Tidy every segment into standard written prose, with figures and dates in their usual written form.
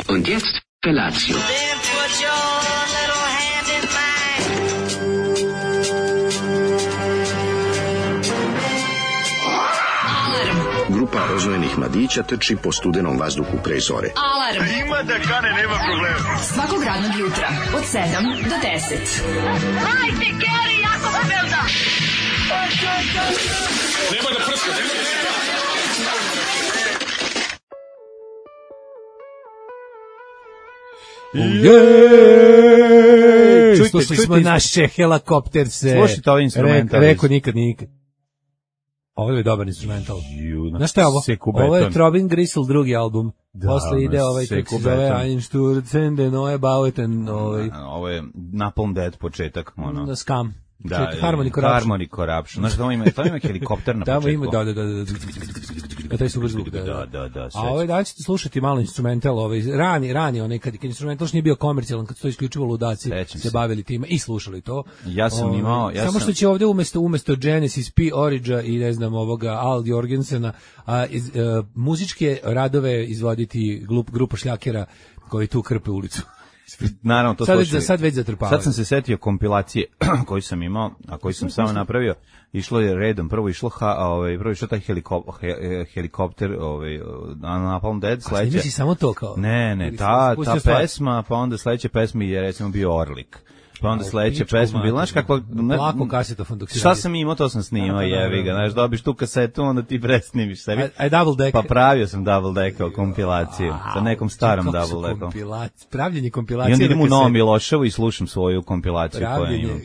Und jetzt Felatio. Then put your little hand in mine. Grupa rozvojenih mladića trči po studenom vazduhu pre zore. Alarm. Ima da kane, nema problema. Svakog radnog jutra od 7 do 10. Hajde, Geri, jako se velda. Nema da prska, nema da prska. Jej! Slušali smo naše helikopterse. Slušajte ovaj instrumental. Reko nikad. Ovo je dobar instrumental. Znaš šta je ovo? Ovo je Throbbing Gristle, drugi album. Posle ide ovaj, kako se zove, Einstürzen, den Neue Bauten. Ovo je Napalm Death početak. Scam. Da, Harmony Corruption. Znaš, to ima helikopter na početku. Tamo ima, da. Taj super zvuk, da. A ovaj da ćete slušati malo instrumental, rani, onaj, kad instrumental još nije bio komercijalan, kad su to isključivo ludaci se bavili time i slušali to. Ja sam imao... Samo što će ovdje umesto Genesis P. Origina i ne znam ovoga Al Jorgensena, muzičke radove izvoditi grupa šljakera koji tu krpe ulicu. Naravno, to sad već zatrpavaju. Sad sam se setio kompilacije koju sam imao, a koju sam samo napravio. Išlo je redom, prvo išlo taj helikopter, Napalm Death, sledeće. Snimi si samo to kao? Ne, ta pesma, pa onda sledeće pesmi je recimo bio Orlik. Pa onda sledeća pesma bila, znaš kakva... Lako kasetofon dok si šta sam imao, to sam snimao, jevi ga, znaš, dobiš tu kasetu, onda ti presnimiš sebi. Double deck. Pa pravio sam Double Deck kompilaciju, sa nekom starom Double Deckom. Pravljenje kompilacije. I onda idem u Novom Miloševu i slušam svoju kompilaciju koju imam.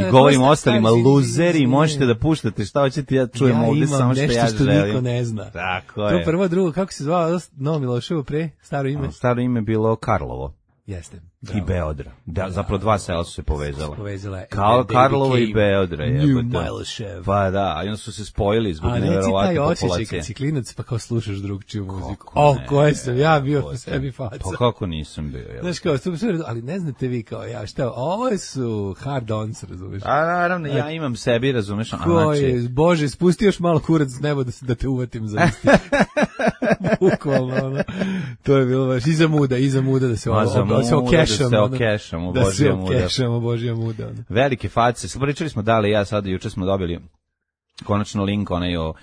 I govorim ostalima, luzeri, možete da puštate, šta hoćete, ja čujem ovde samo što ja želim. Ja imam nešto što niko ne zna. Tako je. To prvo, drugo, kako se zvao Novo Miloševo pre, staro ime? Staro ime bilo Karlovo. Jeste. I Beodra. Da, zapravo dva sela su se povezala. Kao Karlovo i Beodra. New Milošev. Pa da, a onda su se spojili zbog neverovatne populacije. A reci taj osjećaj kad si klinac pa kao slušaš drugčiju muziku. Koje sam ja bio po sebi faca. Pa kako nisam bio. Znaš kao, ali ne znate vi kao ja šta, ovo su hard-ons, razumeš? A naravno, ja imam sebi, razumeš? Koje, Bože, spusti još malo kurac s neba da te uvatim za isti. Bukvalno, ono. To je bilo baš iza muda da se okešamo, Božja muda. Velike face, pričali smo da li ja sad, juče smo dobili konačno link onaj o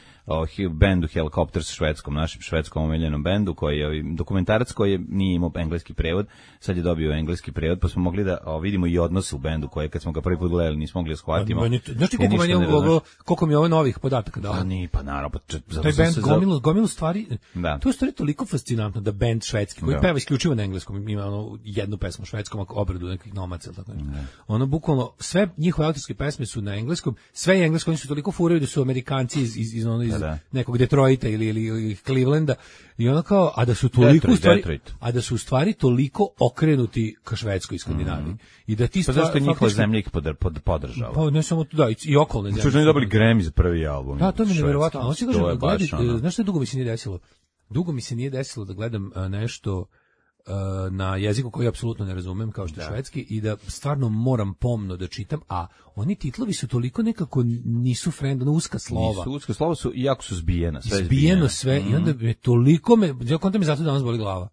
bendu Helicopters, švedskom, našem švedskom omiljenom bendu, koji je dokumentarac koji nije imao engleski prevod, sad je dobio engleski prevod, pa smo mogli da vidimo i odnose u bendu koje kad smo ga prvi put gledali nismo mogli da shvatimo. Znaš ti koliko mi je ovo novih podataka dao? Pa naravno. Taj bend gomilu stvari, to je stvari toliko fascinantno da bend švedski, koji peva isključivo na engleskom, ima jednu pesmu švedskom, obradu nekih nomaca, tako ono bukvalno, sve njihove autorske pesme su na engleskom, sve je englesko, oni su toliko furaju da su Amerikanci iz nekog Detroita ili Clevelanda i ono kao, a da su u stvari toliko okrenuti ka Švedskoj i Skandinaviji. I da ti pa zašto njihova zemlja ih podržava? Pa ne samo to, da, i okolne zemlje. Što su oni dobili Grammy za prvi album. Da, to mi je nevjerovatno. Znaš što dugo mi se nije desilo? Dugo mi se nije desilo da gledam nešto na jeziku koji apsolutno ne razumem, kao što je švedski, i da stvarno moram pomno da čitam, a oni titlovi su toliko nekako nisu uska slova. Uska slova su, iako su zbijena. Zbijeno sve, i onda me toliko konta mi zato danas boli glava.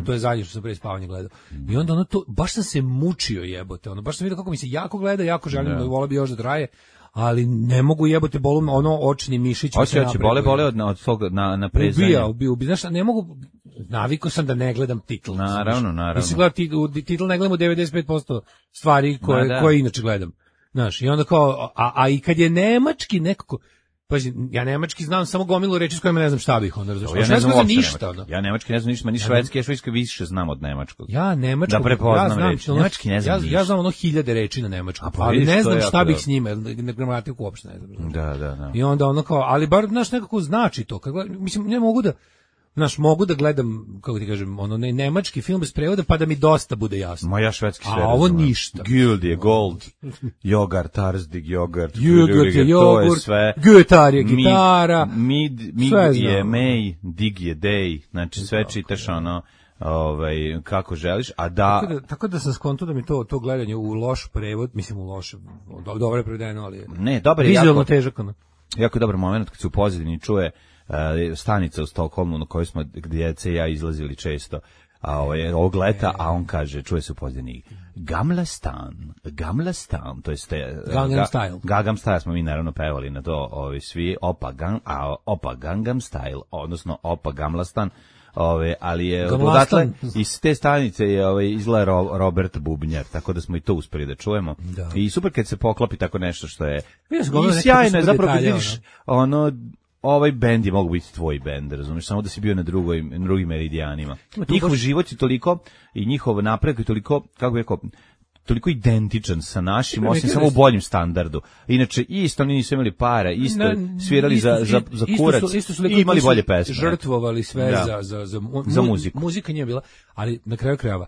To je zadnje što sam pre spavanje gledao. I onda baš sam se mučio, jebote, baš sam vidio kako mi se jako gleda, jako želim, voleo bi još da traje, ali ne mogu, jebote, bolu očni mišić. Hoće bole od tog naprezanja. Znaš, ne mogu, navikao sam da ne gledam titl. Naravno. Mislim, titl ne gledam u 95% stvari koje inače gledam. Znaš, i onda kao, a i kad je nemački nekako, pa ja nemački znam samo gomilu reči s kojima ne znam šta bih onda razumio. Ja ne znam ništa. Ja nemački ne znam ništa, ni švedski, ja švedski više znam od nemačkog. Ja nemačkog, da prepoznam reči. Nemački ne znam. Ja znam 1000 reči na nemačkom, ali ne znam šta bih s njima, gramatiku uopšte ne znam. Da. I onda ono kao, ali bar znaš nekako znači to. Mislim, ne mogu da mogu da gledam, kako ti kažem, nemački film bez prevoda, pa da mi dosta bude jasno. Ma ja švedski sve razumem. A ovo ništa. Guld je gold, jogurt, tarzdig, jogurt, je jogurt, gitar je gitara, mig je mej, dig je dej, znači sve čitaš kako želiš, a da... Tako da sam skonto da mi to gledanje u loš prevod, mislim u loš, dobro je prevedeno, ali... Ne, dobar je vizualno težak. Jako je dobar moment kad se u pozadini čuje stanica u Stokholmu na kojoj smo djece i ja izlazili često ovog leta, a on kaže, čuje se u pozadini, Gamla Stan, to jest Gangnam Style smo mi naravno pevali na to, svi, opa Gangnam Style, odnosno opa Gamla Stan, ali je odatle iz te stanice je izgleda Robert Bubnjar, tako da smo i to uspeli da čujemo. Da. I super kad se poklopi tako nešto što je i sjajno je zapravo kad vidiš ovaj bend je mogu biti tvoj bend, razumiješ, samo da si bio na drugim meridijanima. Njihov život je toliko i njihov napredak je toliko, kako bih rekao, toliko identičan sa našim, osim samo u boljem standardu. Inače, isto oni nisu imali para, isto svirali za kurac i imali bolje pesme. Žrtvovali sve za muziku. Muzika nije bila, ali na kraju krajeva,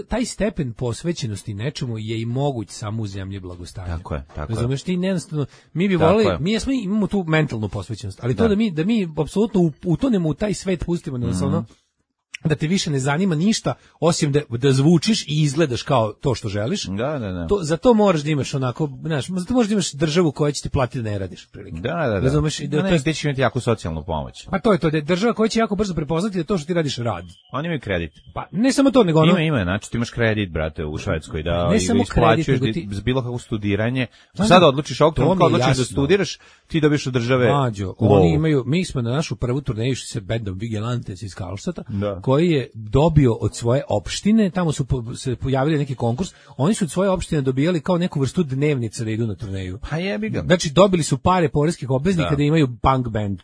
taj stepen posvećenosti nečemu je i moguć samo u zemlji blagostanja. Tako je. Razumeš, ti jednostavno, mi bi voleli, imamo tu mentalnu posvećenost, ali to da mi apsolutno utonemo u taj svet, pustimo nas da te više ne zanima ništa osim da zvučiš i izgledaš kao to što želiš. Da. Za to moraš da imaš onako, znaš, za to moraš da imaš državu koja će ti platiti da ne radiš prilike. Da. Razumeš, gde će imati jako socijalnu pomoć. Pa to je to, da je država koja će jako brzo prepoznati da to što ti radiš radi. Oni imaju kredit. Pa ne samo to, nego Ima, znači ti imaš kredit, brate, u Švedskoj da isplaćuješ bilo kako studiranje. Sad odlučiš ovog trenutka, odlučiš da studiraš, ti dobiješ od države. Oni imaju, mi smo na našu prvu turneju sa bendom Vigilantes iz Karlstata, koji je dobio od svoje opštine, tamo su se pojavili neki konkurs, oni su od svoje opštine dobijali kao neku vrstu dnevnice da idu na turneju. Pa jebi ga. Znači dobili su pare poreskih obveznika da imaju punk band.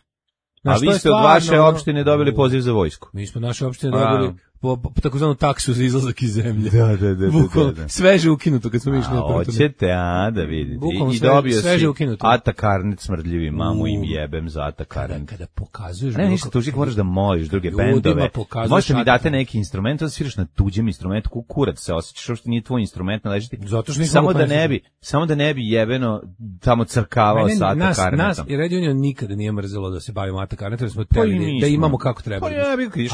A vi ste od vaše opštine dobili poziv za vojsku. Mi smo naše opštine dobili po takozvanu taksu za izlazak iz zemlje. Da. Sveže ukinuto kad smo išli na prvo. Hoćete, da vidite. I dobio si Ata Karnet smrdljivi, mamu im jebem za Ata Karnet. Kada pokazuješ... Ne, ništa, tužik moraš da moliš druge bendove. Možete mi date neki instrument, da sviraš na tuđem instrumentu, kukurac se osjećaš, što nije tvoj instrument naležiti. Samo da ne bi jebeno tamo crkavao sa Ata Karnetom. Nas i Red Union nikada nije mrzelo da se bavimo Ata Karnetom, jer smo teli da imamo kako treba.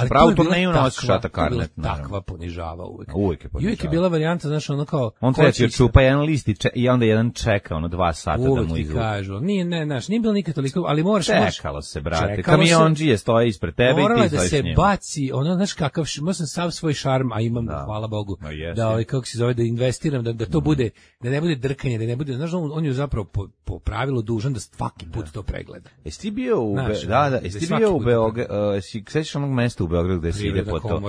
Pravu turneju nosiš Ata Karnet. Takva ponižava uvek. Uvek je bila varijanta, znaš, ono kao... On treba ti čupa jedan list i onda jedan čeka, 2 sata da mu izvuče. Uvek ti kažu. Nije bilo nikad toliko, ali moraš... Čekalo se, brate. Kamionđije stoje ispred tebe i ti stojiš s njim. Morala da se baci, znaš kakav, imao sam sav svoj šarm, a imam, hvala Bogu, da, kako se zove, da investiram, da to bude, da ne bude drkanje, da ne bude, znaš, on je zapravo po pravilu dužan da svaki put to pregleda. Jesi ti bio u Beogradu, sećaš onog mesta u Beogradu gde se ide po to?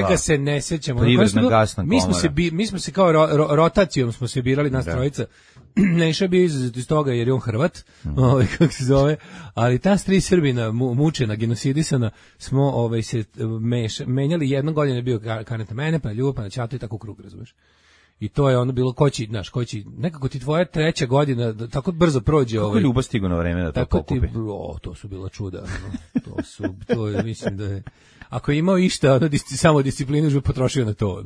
Ga se ne sećamo. Mi smo se kao rotacijom smo se birali nas trojica. Neša bio izuzet iz toga jer je on Hrvat, kako se zove, ali ta 3 Srbina mučena, genocidisana, smo se menjali, jednog godina je bio Karnet na mene, pa na Ljubo, pa na Ćatu i tako u krug, razumeš. I to je ono bilo, ko će, nekako ti tvoja 3. godina tako brzo prođe. Kako je Ljubo stigo na vreme da to pokupi? To su bila čuda. To je, mislim da je... Ako je imao išta, samo disciplinu už bi potrošio na to.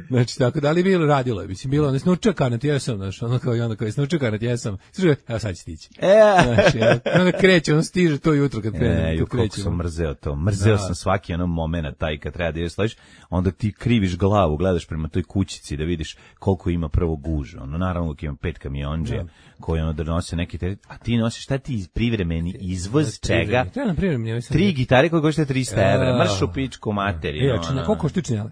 Znači, tako da li bilo radilo je, mislim, bilo, snučio Karnet, jesam, znaš, ono kao i onda kao je snučio Karnet, jesam, slušaj, evo sad će stići. Znači, onda kreće, on stiže to jutro kad kreće. Koliko sam mrzeo to, sam svaki moment taj kad treba da je stojiš, onda ti kriviš glavu, gledaš prema toj kućici da vidiš koliko ima prvo guža, naravno uvijek ima 5 kamionđija koji donose neki teret, a ti nosiš šta ti privremeni izvoz čega? 3 gitare koje košte 300 evra, marš u pičku materiju. Koliko štičnjale?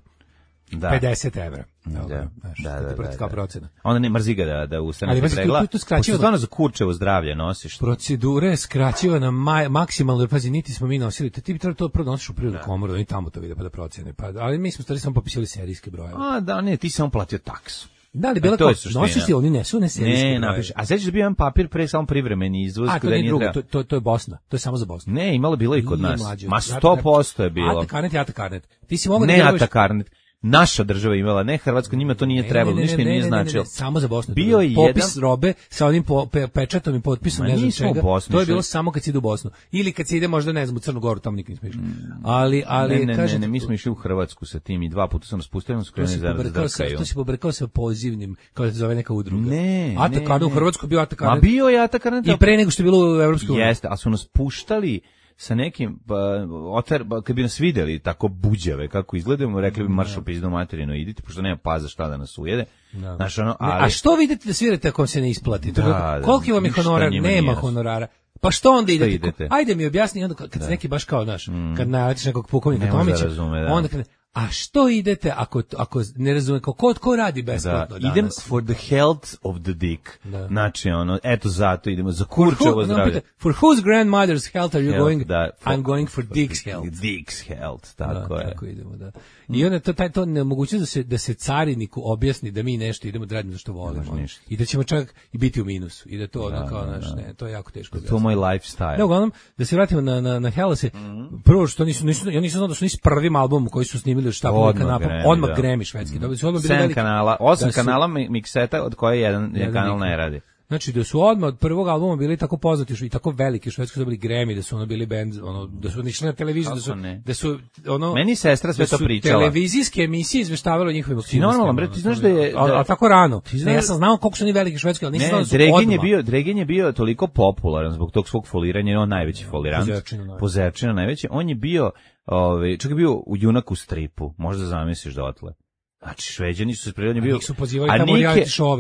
50 evra. Da. Procena. Onda ne mrzi ga da ustane se pregla. Pošto stvarno za kurčevo zdravlje nosiš. Procedura je skraćivana maksimalno, pazi, niti smo mi nosili. Ti bi to prvo nosiš u prirodnu komoru, da oni tamo to vide pa da procene. Ali mi smo stvari samo popisali serijske brojeve. Ti samo platio taksu. Da li bila nosiš ti, oni ne serijske brojeve. Napiš. A sećaš da bio jedan papir pre samo privremeni izvoz. To nije drugo, to je Bosna. To je samo za Bosnu. Ne, imalo bilo i kod nas. Ma 100% je bilo. Ata Karnet. Ti si mogao da veruješ. Ne Ata Karnet. Naša država imala, ne Hrvatska, njima to nije trebalo, ništa im nije značilo. Ne, samo za Bosnu. Bio je popis robe sa onim pečatom i potpisom, ne znam čega. To je bilo samo kad se ide u Bosnu. Ili kad se ide možda, ne znam, u Crnu Goru, tamo nikad nismo išli. Ne, mi smo išli u Hrvatsku sa tim i 2 puta sam raspustio, sam skrenuli zajedno za drkaju. To si pobrkao sa pozivnim, kao da se zove neka udruga. Ne. Ata Karnet u Hrvatsku bio Ata Karnet. Ma bio je Ata Karnet. I pre nego što je bilo u Evropskoj uniji. Jeste, ali su nas puštali sa nekim, kad bi nas videli tako buđave kako izgledamo, rekli bi marš u pizdu materinu, idite, pošto nema paza šta da nas ujede. Znaš, a što vidite da svirate ako vam se ne isplati? Koliki vam je honorar? Nema honorara. Pa što onda idete? Ajde mi objasni, onda kad se neki baš kao naš, kad naletiš nekog pukovnika Tomića, onda A što idete ako ne razume ko radi besplatno danas? Idem for the health of the dick. Znači eto zato idemo za kurčevo zdravlje. For whose grandmother's health are you going? I'm going for dick's health. Dick's health, tako je. Tako idemo, da. I onda to nemogućnost da se cariniku objasni da mi nešto idemo da radimo za što volimo. I da ćemo čak i biti u minusu. I da to kao ne, to je jako teško. To je moj lifestyle. Da, uglavnom, da se vratimo na Hellase, prvo što ja nisam znao da su s prvim albumom koji su snimili šta odmah Grammy švedski. Dobili su odmah bili veliki. 8 kanala mikseta od koje jedan kanal ne radi. Znači da su odmah od prvog albuma bili tako poznati i tako veliki švedski dobili Grammy, da su bili band, da su išli na televiziju, da su meni sestra sve to pričala. Televizijske emisije izveštavale o njihovim aktivnostima. Normalno, bre, ti znaš da je a tako rano. Ja sam znao koliko su oni veliki švedski, ali nisam znao da su odmah. Dregen je bio toliko popularan zbog tog svog foliranja, on najveći folirant. Pozerčina najveći. On je bio, čak je bio u Junaku stripu, možda zamisliš dotle. Znači, Šveđani su se prirodno bio...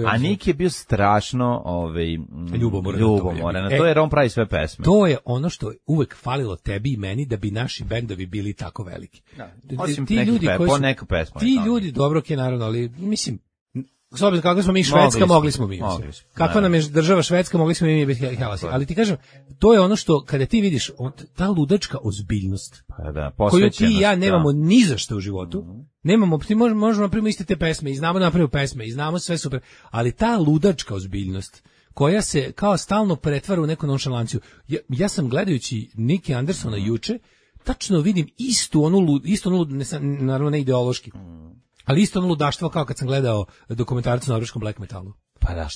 A Nik je bio strašno ljubomoran. To je on pravi sve pesme. To je ono što uvek falilo tebi i meni da bi naši bendovi bili tako veliki. Osim neka pesma. Ti ljudi, dobro je naravno, ali mislim... S obzirom kako smo mi Švedska, mogli smo mi. Kakva nam je država Švedska, mogli smo mi biti Hellasi. Ali ti kažem, to je ono što, kada ti vidiš, ta ludačka ozbiljnost, koju ti i ja nemamo ni za što u životu, nemamo, ti možemo napraviti iste te pesme, i znamo napraviti pesme, i znamo sve super, ali ta ludačka ozbiljnost, koja se kao stalno pretvara u neku nonšalanciju. Ja sam gledajući Niki Andersona juče, tačno vidim istu onu naravno ne ideološki, ali isto ono ludaštvo kao kad sam gledao dokumentarcu na norveškom black metalu. Pa da.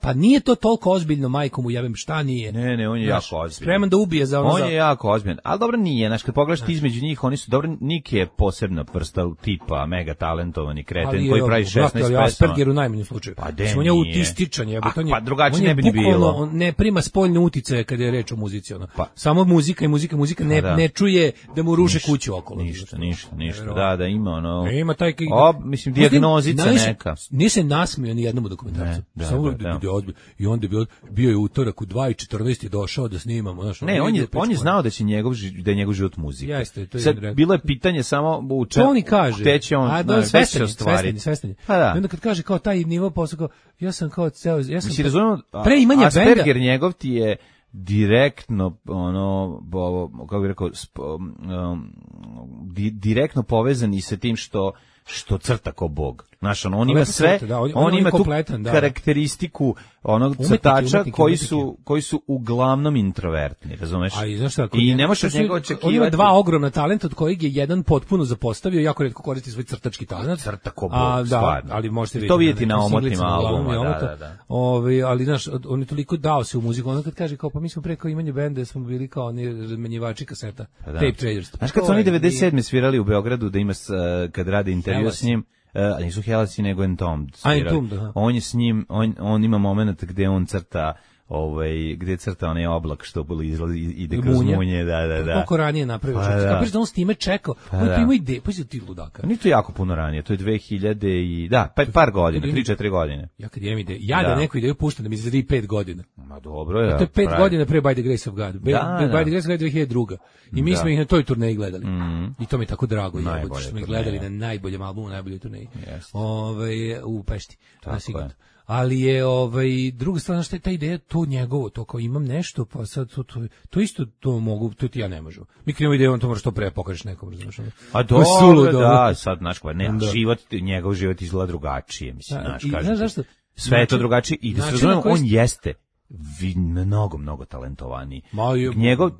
Pa nije to toliko ozbiljno, majkom mu jebem, šta nije? Ne, on je jako ozbiljan. Spreman da ubije za ono. On je jako ozbiljan, ali dobro nije, znaš, kad pogledaš ti između njih, oni su dobro, Nik je posebna vrsta tipa, mega talentovani kreten koji pravi 16 pesama. Ali Asperger u najmanjem slučaju. Pa de, on je autističan, pa drugačije ne bi ni bilo. On ne prima spoljne uticaje kada je reč o muzici. Samo muzika i muzika, ne čuje da mu ruše kuću okolo. Ništa, da ima ono... Ima taj... Mislim, dijagnozica neka. Nije se nasmio ni jednom dokumentarcu. I onda bio je utorak u 2:14 je došao da snimamo. Ne, on je znao da će da je njegov život muzika. Jeste, to je sad bilo je pitanje samo u čemu. To oni kaže. Gde će on svestan. I onda kad kaže kao taj nivo posao, kao ja sam kao ceo, ja sam mislim, razumem, preimanje benda. Asperger njegov ti je direktno kako bih rekao direktno povezan i sa tim što crta ko Bog. Znaš, on ima sve, on ima tu karakteristiku onog crtača koji su uglavnom introvertni, razumeš? I ne možeš od njega očekivati. On ima dva ogromna talenta, od kojeg je jedan potpuno zapostavio, jako retko koristi svoj crtački talent. Crta ko Bog, stvarno. Ali možete to vidjeti na omotima albuma, da. Ali, znaš, on je toliko dao se u muziku, ono kad kaže kao, pa mi smo preko imanja benda, smo bili kao oni razmenjivači kaseta, tape traders. Znaš, kad su oni 97. svirali u Beogradu, da ima, kad rade intervju s njim, nisu Hellasi nego Entombed. On je s njim, on ima moment gde on crta gde crta onaj oblak što ide kroz munje, da. Koliko ranije napravio čovjek. Kapiš da on s time čekao. On je imao ideju, pa si ti ludaka. Nije to jako puno ranije, to je 2000 i par godina, 3-4 godine. Ja kad imam ideju, da neku ideju puštam da mi izgleda 5 godina. Ma dobro je. To je 5 godina pre By the Grace of God. By the Grace of God 2002. I mi smo ih na toj turneji gledali. I to mi je tako drago, što smo ih gledali na najboljem albumu, najboljoj turneji. U Pešti. Ali je druga strana što je ta ideja, to njegovo, to kao imam nešto, pa sad to isto to mogu, to ti ja ne možu. Mi krenemo ideju, on to moraš to pre pokažeš nekom, razumiješ? A dobro, da, sad, znaš, njegov život izgleda drugačije, mislim, znaš, kažem. Sve je to drugačije i da se razumemo, on jeste mnogo talentovaniji. Njegov,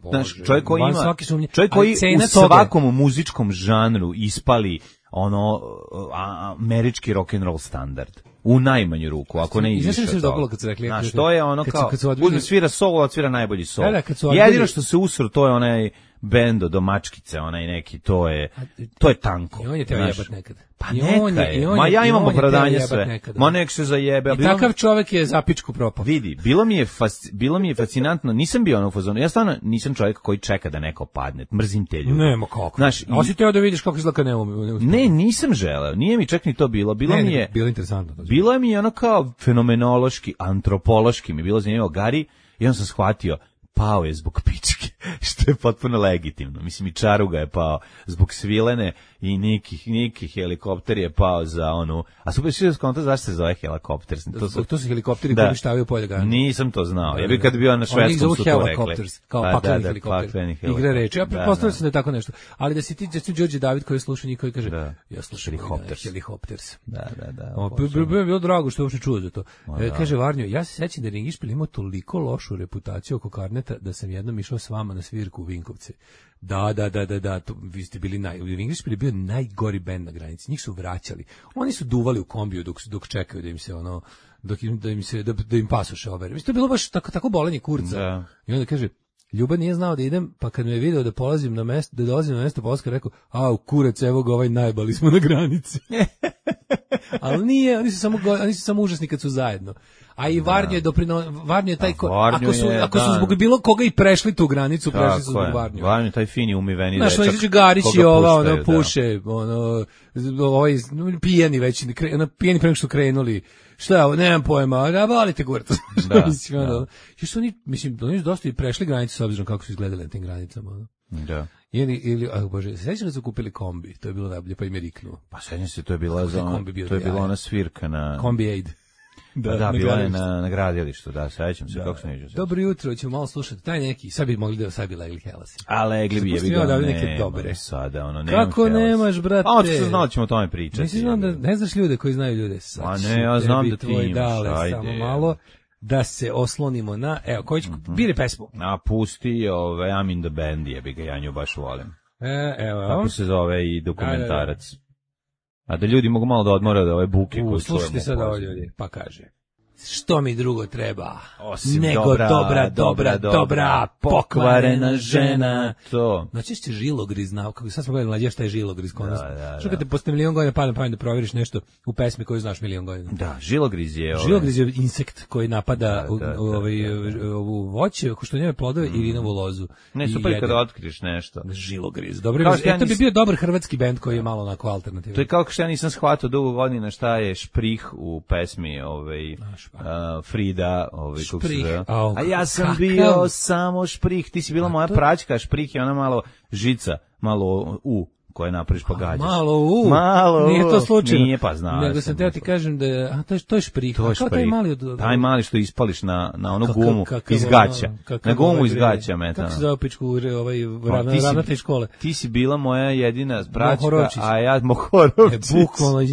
čovjek koji ima, čovjek koji u svakom muzičkom žanru ispali američki rock and roll standard. U najmanju ruku, ako ne i više. Znaš što se dopalo kad su rekli? Znaš, to je ono kao, uzme svira solo, odsvira najbolji solo. Jedino što se usro, to je onaj bendo do mačkice, onaj neki, to je tanko. I on je teo jebat nekad. Pa neka ma ja imam opravdanje sve. Ma nek se zajebe. I takav čovjek je za pičku propao. Vidi, bilo mi je fascinantno, nisam bio ono u fazonu, ja stvarno nisam čovjek koji čeka da neko padne, mrzim te ljude. Nema kako. Znaš, a si teo da vidiš kako izgleda ne, nisam želeo, nije mi čak ni to bilo. Bilo interesantno. Bilo mi je ono kao fenomenološki, antropološki mi bilo zanimljivo. Gari, i on sam shvatio, pao je zbog pičke. što je potpuno legitimno. Mislim, i Čaruga je pao zbog Svilene i Niki helikopter je pao za onu... A super što je skonto zašto se zove helikopter? To su helikopteri koji uništavaju polje Gandhi. Nisam to znao. Ja bih kad bio na švedskom su to rekli. Kao pakleni helikopter. Igre reči. Ja pretpostavljam se da je tako nešto. Ali da si ti Đorđe David koji sluša njih koji kaže ja slušam helikopters. Da. Bilo drago što je uopšte čuo za to. Kaže Varnjo, ja se sećam da je Ringišpil imao toliko lošu reputaciju oko Karneta da sam jednom išao s vama na svirku u Vinkovce. Da, vi ste bili Ringišpil je bio najgori bend na granici. Njih su vraćali. Oni su duvali u kombiju dok čekaju da im se da im pasoše overe. Mislim, to je bilo baš tako bolenje kurca. Da. I onda kaže, Ljuba nije znao da idem, pa kad me je video da polazim na mesto, da dolazim na mesto polaska, rekao, kurac, evo ga, najbali smo na granici. Ali nije, oni su samo užasni kad su zajedno. A i Varnjo je Varnjo je taj ako su zbog bilo koga i prešli tu granicu, prešli su zbog Varnjo. Varnjo taj fini umiveni dečak. Znaš, izađe Garić i puše, ovaj pijeni već, pijeni pre nego što krenuli. Šta je ovo, nemam pojma, volite kurac. Još oni, mislim, oni su dosta i prešli granicu s obzirom kako su izgledali na tim granicama. Da. Bože, sećam da su kupili kombi, to je bilo najbolje, pa im je riknuo. Pa sećam se, to je bila ona svirka na... Kombi Aid. Da, bila je na gradilištu, sećam se, kako se neđe. Dobro jutro, ćemo malo slušati, taj neki, sad bi legli Helasi. A legli bi, neke dobre. Sada, kako nemaš, brate? A očito znao ćemo o tome pričati. Mislim da ne znaš ljude koji znaju ljude. A ne, ja znam da ti imaš, ajde. Samo malo, da se oslonimo na, evo, koji će, biri pesmu. A pusti, I'm in the band, jebi ga, ja nju baš volim. Evo. Kako se zove i dokumentarac. A da ljudi mogu malo da odmore od ove buke koju čujemo. Slušajte sad ovo ljudi, pa kaže. Što mi drugo treba? Osim nego dobra, pokvarena žena. To. Najčešće žilogriz, kako sad smo gledali mlađe šta je žilogriz kod nas. Što kad te posle milion godina pada na pamet da proveriš nešto u pesmi koju znaš milion godina. Da, žilogriz je insekt koji napada ovu voće, što njeme plodove i vinovu lozu. Ne, super kada otkriš nešto. Žilogriz. Dobro, to bi bio dobar hrvatski bend koji je malo onako alternativan. To je kao što ja nisam shvatio dugo godina šta je šprih u pesmi Frida, šprih. A ja sam bio samo šprih, ti si bila moja praćka, šprih je ona malo žica, malo koje napraviš pa gađaš. Malo nije to slučajno. Nije, pa znaš. Nego sam teo ti kažem da je, to je šprih. To je šprih. Taj mali što ispališ na onu gumu iz gaća. Na gumu iz gaća metano. Kako se zove pičku ravnatelj škole? Ti si bila moja jedina praćka, a ja Mohorovčić. Bukvalno iz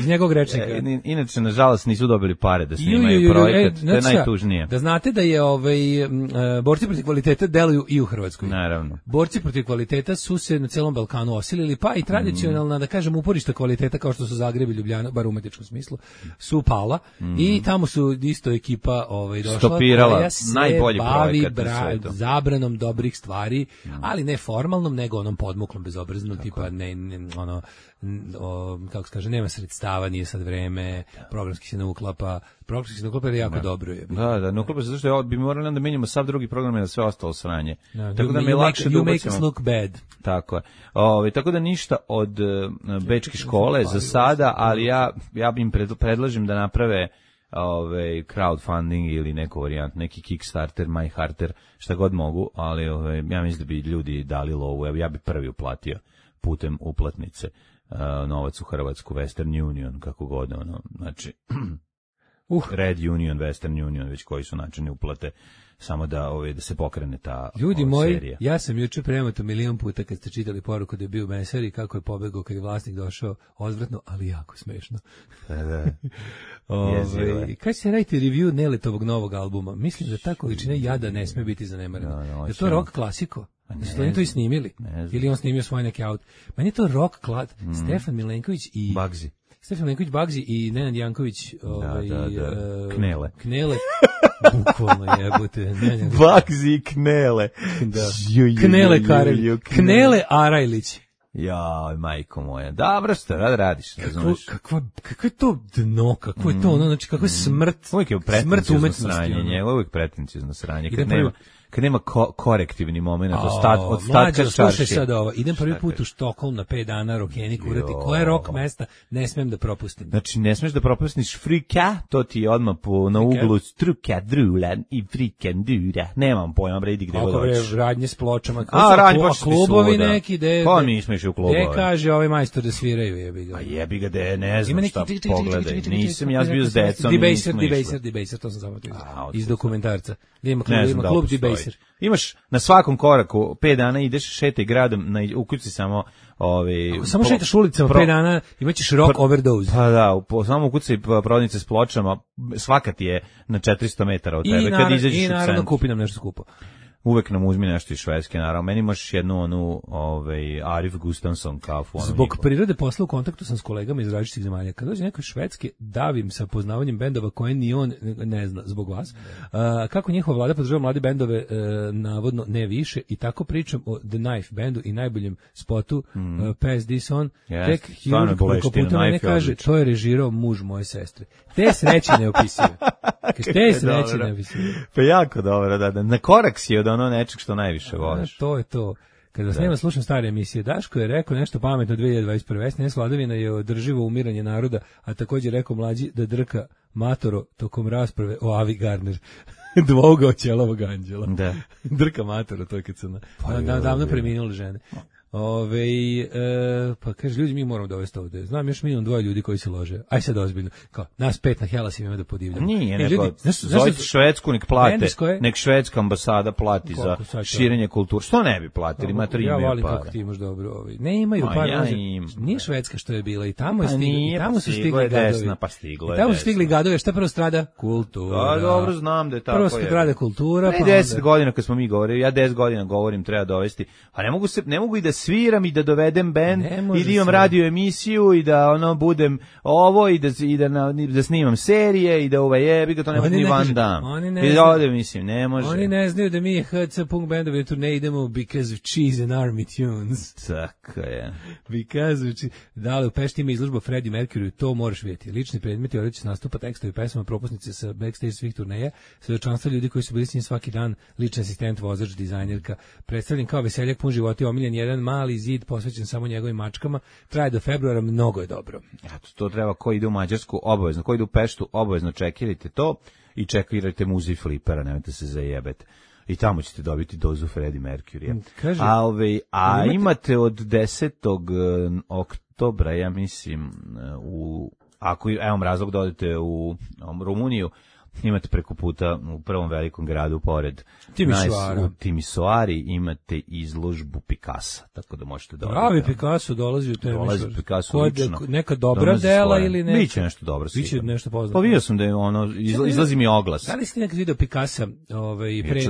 njegovog rečnika. Inače, nažalost, nisu dobili pare da snimaju projekat. To je najtužnije. Da znate da je borci protiv kvaliteta deluju i u Hrvatskoj. Naravno. Borci protiv kvaliteta su se na celom Balkanu osili, pa i tradicionalna, da kažem, uporišta kvaliteta kao što su Zagreb i Ljubljana, bar u umetničkom smislu, su pala i tamo su isto ekipa došla stopirala koja se najbolji bavi zabranom dobrih stvari, ali ne formalnom, nego onom podmuklom, bezobraznom, tipa kako se kaže, nema sredstava, nije sad vreme, programski se ne uklapa je jako dobro. Da, ne uklapa se, zato što bi morali da menjamo sav drugi program i da sve ostalo sranje. Tako da mi je lakše da ubacimo. You make us look bad. Tako je. Tako da ništa od bečke škole za sada, ali ja im predlažem da naprave crowdfunding ili neku varijant, neki Kickstarter, MyHearter, šta god mogu, ali ja mislim da bi ljudi dali lovu, ja bi prvi uplatio putem uplatnice novac u Hrvatsku, Western Union, kako god, znači Red Union, Western Union, već koji su načini uplate, samo da se pokrene ta ljudi moji, serija. Ja sam juče premoto milion puta kad ste čitali poruku da je bio meser i kako je pobegao kad je vlasnik došao, odvratno, ali jako smešno. Da. Kad se radite review Neletovog novog albuma, mislim da ta količina jada ne sme biti zanemarena. Je to rock klasiko? Da su oni to i snimili? Ili on snimio svoj neki aut? Meni je to rock klad. Stefan Milenković i Bagzi. Stefan Milenković, Bagzi i Nenad Janković. Knele. Bukvalno jebote. Bagzi i Knele. Knele Karelj. Knele Arajlić. Ja, majko moja. Dobro, što radiš? Kako je to dno, kako je to znači kako je smrt. Uvijek je pretencijozno sranje, uvijek pretencijozno sranje. kad nema korektivni moment od statka čaršije. Slušaj sad ovo, idem prvi put u Štokholm na 5 dana, rokeni kurati, koje rock mesta ne smem da propustim. Znači, ne smeš da propustiš frika, to ti je odmah na uglu struka, drulan i frikendura. Nemam pojma, bre, idi gde god hoćeš. Radnje s pločama, klubovi neki, pa nismo išli u klubove. Gde kaže ovaj majstor da sviraju, jebi ga. Pa jebi ga, ne znam šta pogledaj. Nisam ja bio s decom. Debaser, to sam zapamtio iz dokumentarca. Ima klub Debaser. Imaš na svakom koraku 5 dana ideš, šetaj gradom, ukuci samo samo šetaš ulicama 5 dana, imaćeš rock overdose. Pa da, samo ukucaj prodavnice s pločama, svaka ti je na 400 metara od tebe. Kad izađeš i naravno kupi nam nešto skupo. Uvek nam uzmi nešto iz Švedske, naravno. Meni imaš jednu Arif Gustafsson kafu. Zbog prirode posla u kontaktu sam s kolegama iz različitih zemalja. Kad dođe neko iz Švedske, davim sa poznavanjem bendova koje ni on ne zna zbog vas. Kako njihova vlada podržava mlade bendove, navodno ne više, i tako pričam o The Knife bandu i najboljem spotu Pass This On. Tek hirurg koliko puta me ne kaže, to je režirao muž moje sestre. Te sreće neopisive. Te sreće neopisive. Pa jako dobro, da. Na korak si od ono nečeg što najviše voliš. To je to. Kad vas nema, slušam stare emisije. Daško je rekao nešto pametno 2021. SNS vladavina je održivo umiranje naroda, a također rekao mlađi da drka matoro tokom rasprave o Avi Gardner. Dvougao ćelovog anđela. Da. Drka matoro, to je kad sam davno preminuli žene. Pa kaže, ljudi, mi moramo dovesti ovde. Znam još minimum 2 ljudi koji se lože. Aj sad ozbiljno. Kao, nas 5 na Helasim ima da podivljamo. Nije, neko, zovite Švedsku, nek plate, nek švedska ambasada plati za širenje kulture. Što ne bi platili? Ima 3 ja volim kako ti imaš dobro. Ne imaju par. Nije Švedska što je bila i tamo je stigla. Tamo su stigli gadovi. I tamo su stigli gadovi. Šta prvo strada? Kultura. Dobro, znam da je tako. Prvo strada kultura. Pa 10 godina kad smo mi govorili, ja 10 godina govorim, treba dovesti. A ne mogu i da sviram i da dovedem bend i da imam radio emisiju i da budem ovo i da snimam serije i da jebi ga, to ne može ni Van Damme. I da ovdje mislim, ne može. Oni ne znaju da mi HC punk bendovi tu ne idemo because of cheese and army tunes. Tako je. Because of cheese. Da li u Pešti ima izložba Freddie Mercury, to moraš vidjeti. Lični predmeti, odreći nastupa, tekstovi, pesama, propusnice sa backstage svih turneja, svedočanstva ljudi koji su bili s njim svaki dan, lični asistent, vozač, dizajnerka, predstavljen kao veseljak pun života, omiljen jedan mali zid posvećen samo njegovim mačkama, traje do februara, mnogo je dobro. Eto, to treba, ko ide u Mađarsku, obavezno, ko ide u Peštu, obavezno čekirajte to i čekirajte muzej Flipera, nemojte se zajebeti. I tamo ćete dobiti dozu Freddie Mercury. A imate od 10. oktobra, ja mislim, ako imam razlog da odete u Rumuniju, imate preko puta u prvom velikom gradu pored Timisoari imate izložbu Picassa, tako da možete da pravi Picasso dolazi u temi. Dolazi Picasso lično. Neka dobra dela ili ne? Biće nešto dobro. Biće nešto poznato. Pa vidio sam da je izlazi mi oglas. Da li ste nekad video Picassa?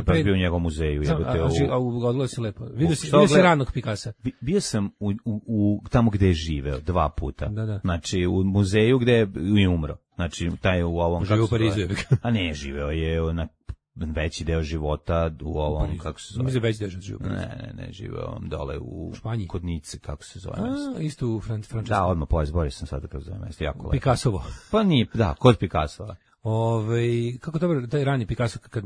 Pre bio u njegovom muzeju. Odgledalo se lepo. Vidio si ranog Picassa. Bio sam u tamo gde je živeo 2 puta. Znači u muzeju gde je umro. Znači, taj je u ovom... Živeo u Parizu, je. A ne, živeo je na veći deo života u ovom, kako se zove. Mislim, veći deo života. Ne, živeo dole u Španiji. Kod Nice, kako se zove. Isto u Francusku. Da, odmah izborio sam sada kako se zove, jeste jako lepo. Picassovo. Pa nije, da, kod Picassova. Kako dobro, taj rani Picasso, kad,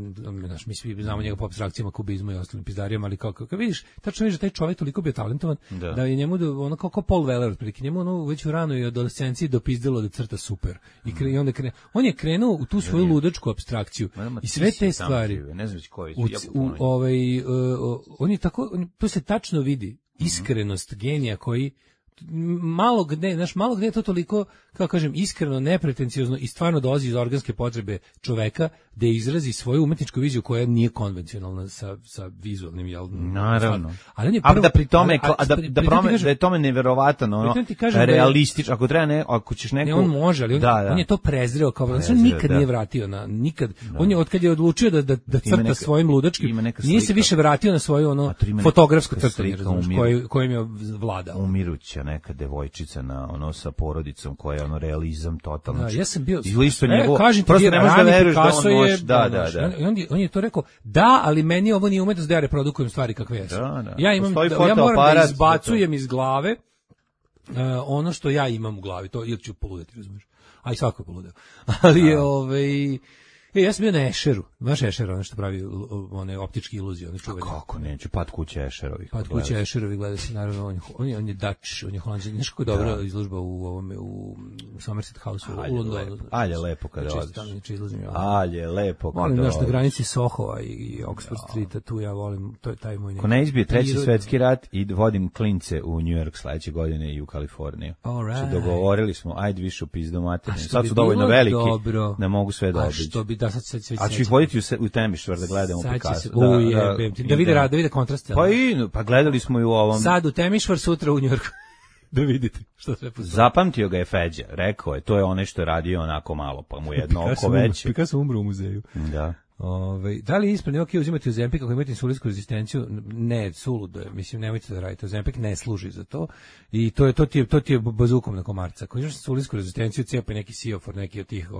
mi svi znamo njega po apstrakcijama, kubizmu i ostalim pizdarijama, ali kad vidiš, tačno vidiš da taj čovjek toliko bio talentovan, da je njemu, ono kao Paul Weller, otprilike, njemu ono već u ranoj adolescenciji dopizdilo da crta super. I onda on je krenuo u tu svoju ludačku apstrakciju. I sve te stvari. Ne znam koji on je tako, to se tačno vidi, iskrenost genija koji malo gde je to toliko, kako kažem, iskreno, nepretenciozno i stvarno dolazi iz organske potrebe čoveka da izrazi svoju umetničku viziju koja nije konvencionalna sa vizualnim, jel? Naravno. Ali on je prvo, da pri tome, da je tome neverovatno, realistično, ako ćeš neko... Ne, on može, ali on je to prezreo, kao on nikad nije vratio nikad. On je, otkad je odlučio da crta svojim ludačkim, nije se više vratio na svoju fotografsko crtanje, kojim je vladao. Umiruća neka devojčica sa porodicom koja je realizam totalno. Ja sam bio kažem ti, rani Picasso je on je to rekao, ali meni ovo nije umetnost da ja reprodukujem stvari kakve jesu. Ja moram da izbacujem iz glave ono što ja imam u glavi, to ili ću poludeti, razumiješ. A i svako je poludeo. Ali je Ja sam bio na Esheru, baš Esher, ono što pravi one optičke iluzije, one čuvene. Kako neću, Pad kuće Esherovih. Pad kuće Esherovi gleda se, naravno, on je Dutch, on je Holandžan, znaš kako je dobra izložba u Somerset House u Londonu. Alje lepo kada odeš. Alje lepo kada volim na granici Sohova i Oxford Streeta, tu ja volim, to je taj moj neki. Ko ne izbije treći svetski rat i vodim klince u New York sledeće godine i u Kaliforniju. Right. Dogovorili smo, ajde više u pizdu materinu. Sad su dovoljno veliki da mogu sve da obiđu. Što bi da sad a ću ih voditi u Temišvar da gledamo Picasso. Da vide kontraste. Pa gledali smo i u ovom. Sad u Temišvar, sutra u Njujorku. Da vidite što sve postoji. Zapamtio ga je Feđa, rekao je, to je onaj što je radio onako malo, pa mu jedno oko veće. Picasso umro u muzeju. Da. Da li je ispravno uzimati Ozempik ako imate insulinsku rezistenciju? Ne, suludo je. Mislim, nemojte da radite. Ozempik ne služi za to. I to ti je bazukom na komarca. Ako imaš insulinsku rezistenciju, cijepaj neki Siofor, neki od tih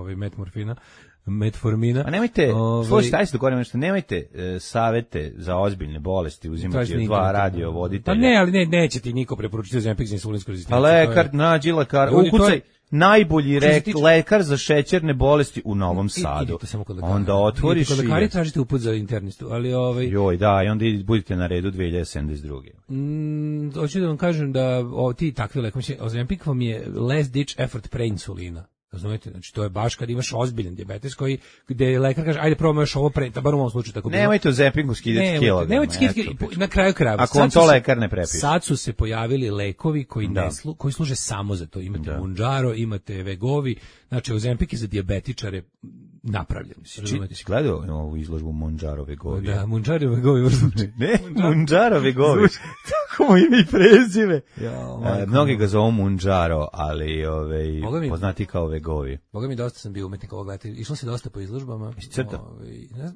metformina. A nemojte, slušajte, ajde se dogovorimo nešto, nemojte savete za ozbiljne bolesti uzimati od dva radiovoditelja. Pa ne, ali neće ti niko preporučiti Ozempik za insulinsku rezistenciju. A lekar, nađi lekar, ukucaj. Najbolji lekar za šećerne bolesti u Novom Sadu. Onda otvoriš i lekari tražite uput za internistu, ali joj, da, i onda budite na redu 2072. Hoću da vam kažem da ti takvi lekovi, Ozempik vam je last ditch effort pre insulina. Razumete, znači to je baš kad imaš ozbiljan dijabetes gde lekar kaže ajde probamo još ovo pre, bar u ovom slučaju tako bilo. Nemojte Ozempinku skidati kilograma. Nemojte skidati, na kraju krajeva. Ako on to lekar ne prepiše. Sad su se pojavili lekovi koji služe samo za to. Imate Mounjaro, imate Wegovy, znači Ozempik je za dijabetičare napravljen. Si gledao ovu izložbu Mounjaro Wegovy? Da, Mounjaro Wegovy. Ne, Mounjaro Wegovy. Tako mu ime i prezime. Mnogi ga zovu Mounjaro, ali poznati kao Wegovy. Boga mi dosta sam bio umetnik ovog leta. Išlo se dosta po izložbama.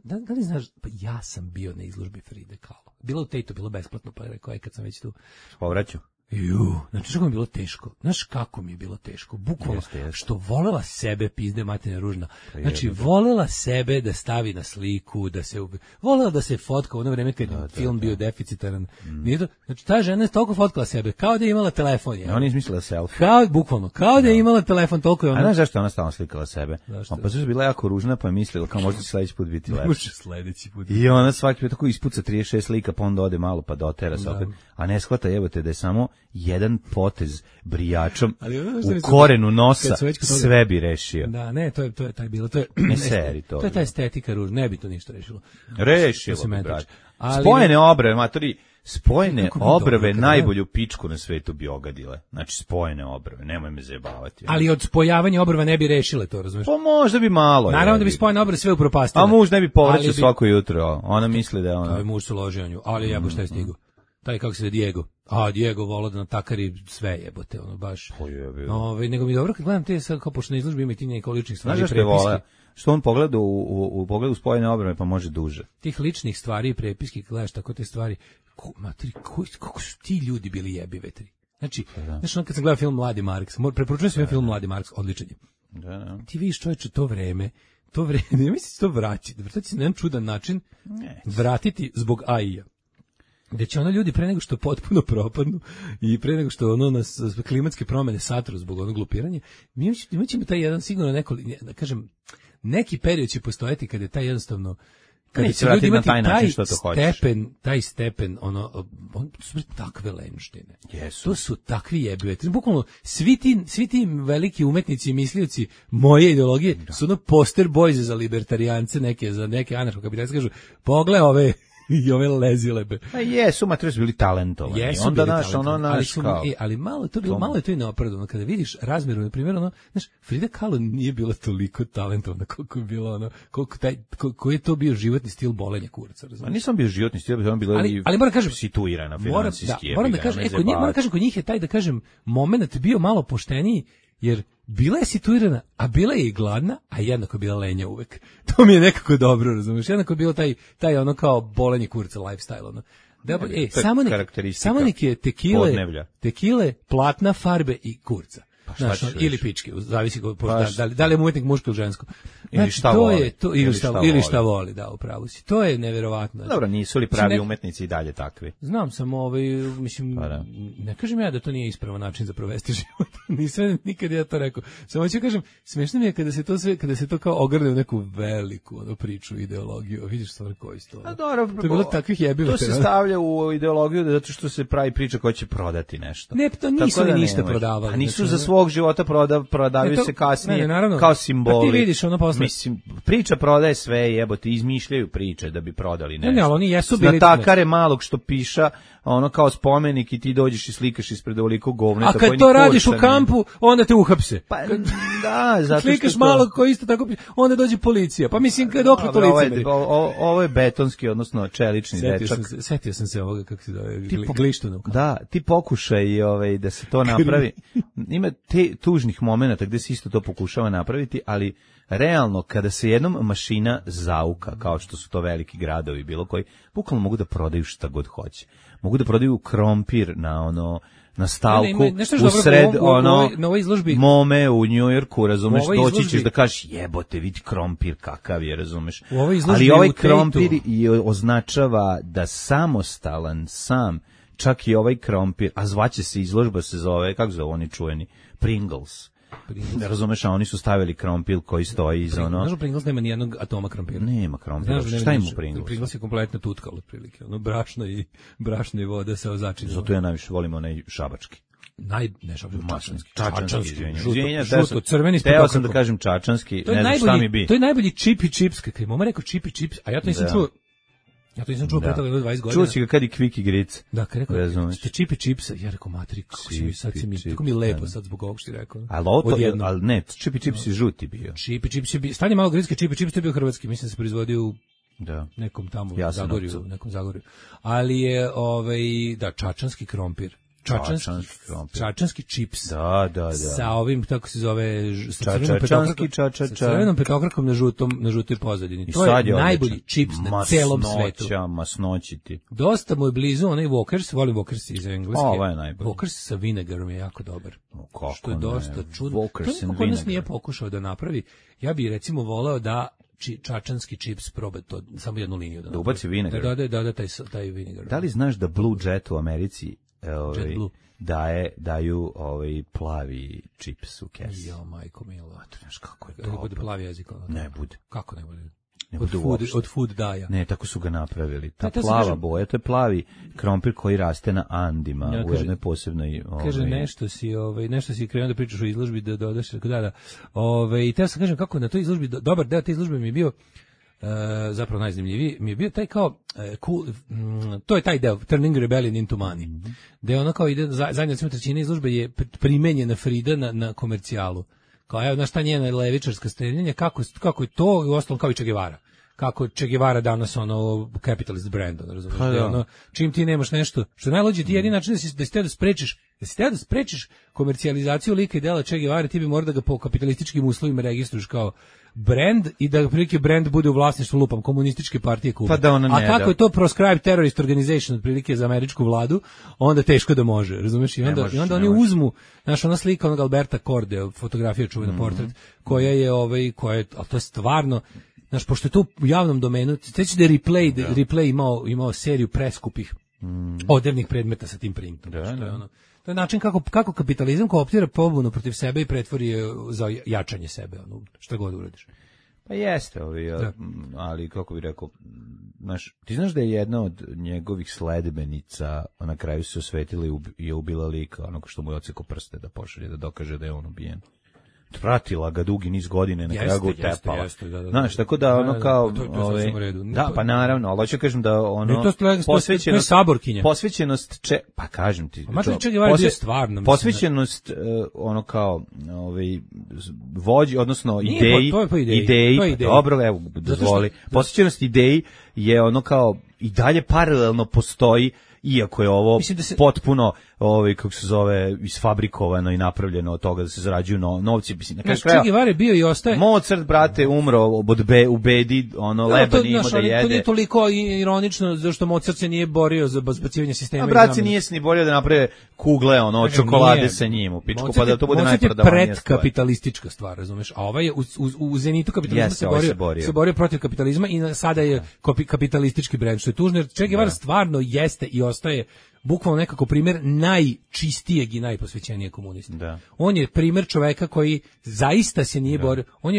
Da li znaš, pa ja sam bio na izložbi Fride Kahlo. Bilo u Tejtu, bilo besplatno, pa je rekao, kad sam već tu. Povraću. Znači što mi je bilo teško? Znaš kako mi je bilo teško? Bukvalno, što volela sebe, pizde materna ružna. Znači, volela sebe da stavi na sliku, volela da se fotka u ono vreme kad je film bio deficitaran. Znači, ta žena je toliko fotkala sebe, kao da je imala telefon. Ona je izmislila selfie. Bukvalno, kao da je imala telefon, toliko je ona. A znaš zašto ona stalno slikala sebe? Pa su bila jako ružna, pa je mislila kao možda će sledeći put biti lepša. Može sledeći put. I ona svaki put tako ispuca 36 slika, pa onda ode malo, pa dotera se opet. A ne shvata, jebote, da je samo jedan potez brijačom u korenu nosa sve bi rešio. Da, ne, to je taj bilo, to je ta estetika ružna, ne bi to ništa rešilo. Rešilo bi, brać. Spojene obrve, matori, spojene obrve najbolju pičku na svetu bi ogadile. Znači, spojene obrve, nemoj me zajebavati. Ali od spojavanja obrva ne bi rešile to, razumiješ? Pa možda bi malo. Naravno da bi spojene obrve sve upropastile. A muž ne bi povraćao svako jutro, ona misli da je ona. To je muž su loženju, ali jebo šta je stigu. Taj kako se zove Diego. Diego volao da natakari sve jebote, ono baš. Nego mi dobro kad gledam te sad kao pošto na izložbi ima i ti neke ličnih stvari i prepiske. Što on pogleda u pogledu spojene obrve pa može duže. Tih ličnih stvari i prepiske, gledaš tako te stvari. Kako su ti ljudi bili jebi vetri. Znači, kad sam gledao film Mladi Marks, preporučujem svoj film Mladi Marks, odličan je. Ti vidiš čovječe to vreme, ne misliš to vratiti se na jedan čudan način, vratiti zbog AI-a. Gde će ono ljudi pre nego što potpuno propadnu i pre nego što nas klimatske promene satru zbog onog glupiranja, mi ćemo taj jedan sigurno neki period će postojati kada je taj jednostavno kada će ljudi imati taj stepen, on su takve lenštine. To su takvi jebiveti. Bukvalno, svi ti veliki umetnici i mislioci moje ideologije su poster boys za libertarijance, za neke anarcho-kapitaliste, kažu, pogle ove i ove lezilebe. Jesu, materi su bili talentovani. Onda ali malo je to i neopravdano. Kada vidiš razmjeru, na primjer, Frida Kahlo nije bila toliko talentovana koliko je bila koji je to bio životni stil bolenja kuraca. Nisam bio životni stil, on bila ali moram kažem, situirana finansijski. Moram da kažem, kod njih je taj, da kažem, moment bio malo pošteniji, jer bila je situirana, a bila je i gladna, a jednako je bila lenja uvek. To mi je nekako dobro, razumiješ? Jednako je bilo taj ono kao bolenje kurca lifestyle. Ono. Samo neke tekile, platna, farbe i kurca. Ili pičke, zavisi da li je umetnik muško ili žensko. Ili šta voli. Ili šta voli, da, upravo si. To je neverovatno. Dobro, nisu li pravi umetnici i dalje takvi? Znam sam, mislim, ne kažem ja da to nije ispravan način za provesti život. Nisam nikad ja to rekao. Samo ću kažem, smešno mi je kada se to kao ogrne u neku veliku priču, ideologiju. Vidiš stvar koji sto. To je bilo takvih jebiva. To se stavlja u ideologiju zato što se pravi priča koja će prodati nešto. Ne, to nisu ni ništa prodavali. A nisu za svog života prodavaju se kasnije kao simboli. Ti vidiš ono posle. Mislim, priča prodaje sve, jebote, izmišljaju priče da bi prodali nešto. Ne, ali oni jesu bili natakare malog što piša, ono kao spomenik i ti dođeš i slikaš ispred ovoliko govneta. A kad to radiš u kampu, onda te uhapse. Pa da, zato što slikaš malog koji isto tako piše, onda dođe policija. Pa mislim, dokle to lice? Ovo je betonski, odnosno čelični dečak. Setio sam se ovoga, kako se zove, Glištuna. Da, ti pokušaj da se to napravi. Ima te tužnih momenata gde se isto to pokušava napraviti, ali realno, kada se jednom mašina zauka, kao što su to veliki gradovi, bilo koji, bukvalno mogu da prodaju šta god hoće. Mogu da prodaju krompir na stalku, u sred Mome u Njujorku, razumeš, doći ćeš da kažeš jebote, vidi krompir kakav je, razumeš. Ali ovaj krompir označava da samostalan, sam, čak i ovaj krompir, a zvaće se izložba, se zove, kako zove oni čuveni, Pringles. Ne razumeš, a oni su stavili krompir koji stoji iza ono. Znaš, Pringles nema ni jednog atoma krompira. Nema krompira. Šta ima u Pringles? Pringles je kompletna tutka otprilike. Ono brašno i voda sa začinima. Zato ja najviše volim onaj šabački. Čačanski. Žuto, crveni s petokrakom. Teo sam da kažem čačanski, ne znam šta mi bi. To je najbolji chip i chips, kako je mama rekao chip i chips, a ja to nisam čuo. Ja to nisam čuo pre toga 20 godina. Čuo si ga kad i Kvik i Gric. Da, kad rekao, ste čip i čipsa. Ja rekao, materi, kako si mi sad, tako mi je lepo sad zbog ovog što ti rekao. Ali ne, čip i čips je žuti bio. Čip i čips je bio, stanje malo gritske, čip i čips je bio hrvatski, mislim da se proizvodio u nekom tamo Zagorju, nekom Zagorju. Ali je, čačanski krompir. Čačanski čips. Da. Sa ovim, tako se zove, sa crvenom petokrakom na žutoj pozadini. To je najbolji čips na celom svetu. Masnoći ti. Dosta mu je blizu onaj Walkers, volim Walkers iz engleske. Ovo je najbolji. Walkers sa vinegarom je jako dobar. Što je dosta čudno. Walkers to niko kod nas nije pokušao da napravi. Ja bih recimo voleo da čačanski čips proba to, samo jednu liniju. Da ubaci vinegar. Da, taj vinegar. Da li znaš da Blue Jet u Americi daju plavi čips u kesi? Jo, majko milo, znaš kako je to. Bude plavi jezik. Ne bude. Kako ne bude? Od food daja. Ne, tako su ga napravili. Ta plava boja, to je plavi krompir koji raste na Andima u jednoj posebnoj. Kaže nešto si krenuo da pričaš o izložbi, da dodaš tako da. I te sam kažem kako na toj izložbi, dobar deo te izložbe mi je bio zapravo najzanimljiviji, mi je bio taj kao cool, to je taj deo Turning Rebellion into Money, gde ono kao ide, zadnja trećina izložbe je primenjena Frida na komercijalu, kao evo, znaš ta njena levičarska streljenja, kako je to, i uostalom kao i Che Guevara, kako Che Guevara danas ono capitalist brand, razumiješ, ono, čim ti nemaš nešto, što najluđe ti jedini način da si teo da sprečiš komercijalizaciju lika i dela Che Guevara, ti bi morao da ga po kapitalističkim uslovima registruješ kao brand i da prilike brand bude u vlasništvu lupam komunističke partije Kube. A kako je to proscribed terrorist organization otprilike za američku vladu, onda teško da može, razumeš? I onda oni uzmu, znaš, ona slika onog Alberta Korde, fotografija čuvena portret, koja je, ali to je stvarno, znaš, pošto je to u javnom domenu, sveći da je Replay imao seriju preskupih odevnih predmeta sa tim printom. To je način kako kapitalizam kooptira pobunu protiv sebe i pretvori je za jačanje sebe, šta god uradiš. Pa jeste, ali kako bih rekao, ti znaš da je jedna od njegovih sledbenica na kraju se osvetila i je ubila lika, onog što mu je odsekao prste da pošalje, da dokaže da je on ubijen. Pratila ga dugi niz godine, na kraju ga utepala. Znaš, tako da ono kao... Da, pa naravno, ali hoću kažem da ono... Posvećenost... Posvećenost... Pa kažem ti... Posvećenost ono kao vođi, odnosno ideji... Dobro, evo, dozvoli. Posvećenost ideji je ono kao i dalje paralelno postoji, iako je ovo potpuno kako se zove, isfabrikovano i napravljeno od toga da se zarađuju novci. Che Guevara bio i ostaje. Mozart, brate, umro u bedi, leba nije imao da jede. To nije toliko ironično, zašto Mozart se nije borio za bazbacivanje sistema. A brat se nije se ni borio da naprave kugle, čokolade sa njim u pičku, pa da to bude najprodavanija stvar. Predkapitalistička stvar, razumeš? A ovaj je u zenitu kapitalizma se borio protiv kapitalizma i sada je kapitalistički brend, što je tužno, jer Che Guevara stvarno jeste i ostaje bukvalno nekako primjer najčistijeg i najposvećenijeg komunista. Da. On je primjer čoveka koji zaista se nije borio. On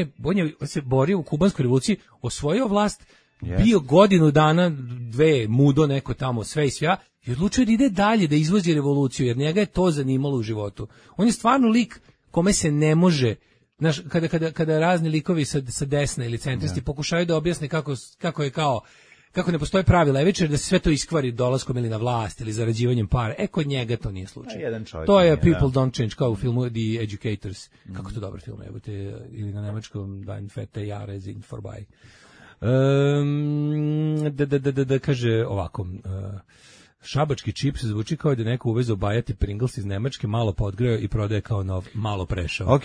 se borio u kubanskoj revoluciji, osvojio vlast, bio godinu dana, dve, mudo neko tamo, sve i svja, i odlučio da ide dalje, da izvozi revoluciju, jer njega je to zanimalo u životu. On je stvarno lik kome se ne može, znaš, kada razni likovi sa desne ili centristi pokušaju da objasne kako ne postoje pravila levičara da se sve to iskvari dolaskom ili na vlast ili zarađivanjem para. Kod njega to nije slučaj. To je People Don't Change, kao u filmu The Educators. Kako to dobar film, ili na nemačkom Dein fette Jahre sind vorbei. Da kaže ovako, šabački čips zvuči kao da je neko uvezao bajati Pringles iz Nemačke, malo podgreo i prodaje kao nov, malo prešao. Ok.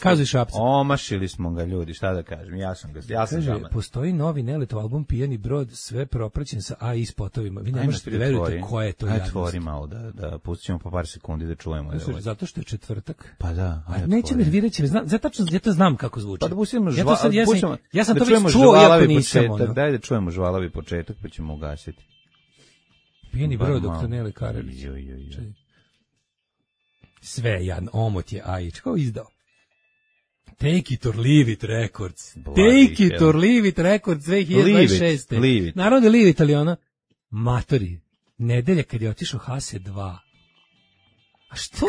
Kaži Šapca. Omašili smo ga, ljudi, šta da kažem, ja sam žaman. Postoji novi Neletov album Pijani brod, sve propraćen sa AI spotovima. Vi ne možete da verujete koje je to jadnost. Otvori malo, da pustimo po par sekundi da čujemo. Zato što je četvrtak. Pa da. Neće nervirati, ja to znam kako zvuči. Pa da pustimo ja sam to već čuo, iako nisam. Daj da čujemo žvalavi početak, pa ćemo ugasiti. Pijeni brod, doktor Nele Karadžić. Sve je jadno, omot je Ajić, kao izdao. Take it or leave it records. Take it or leave it records 2026. Naravno da leave it, ali ona, matori, nedelja kad je otišao Hase 2. A što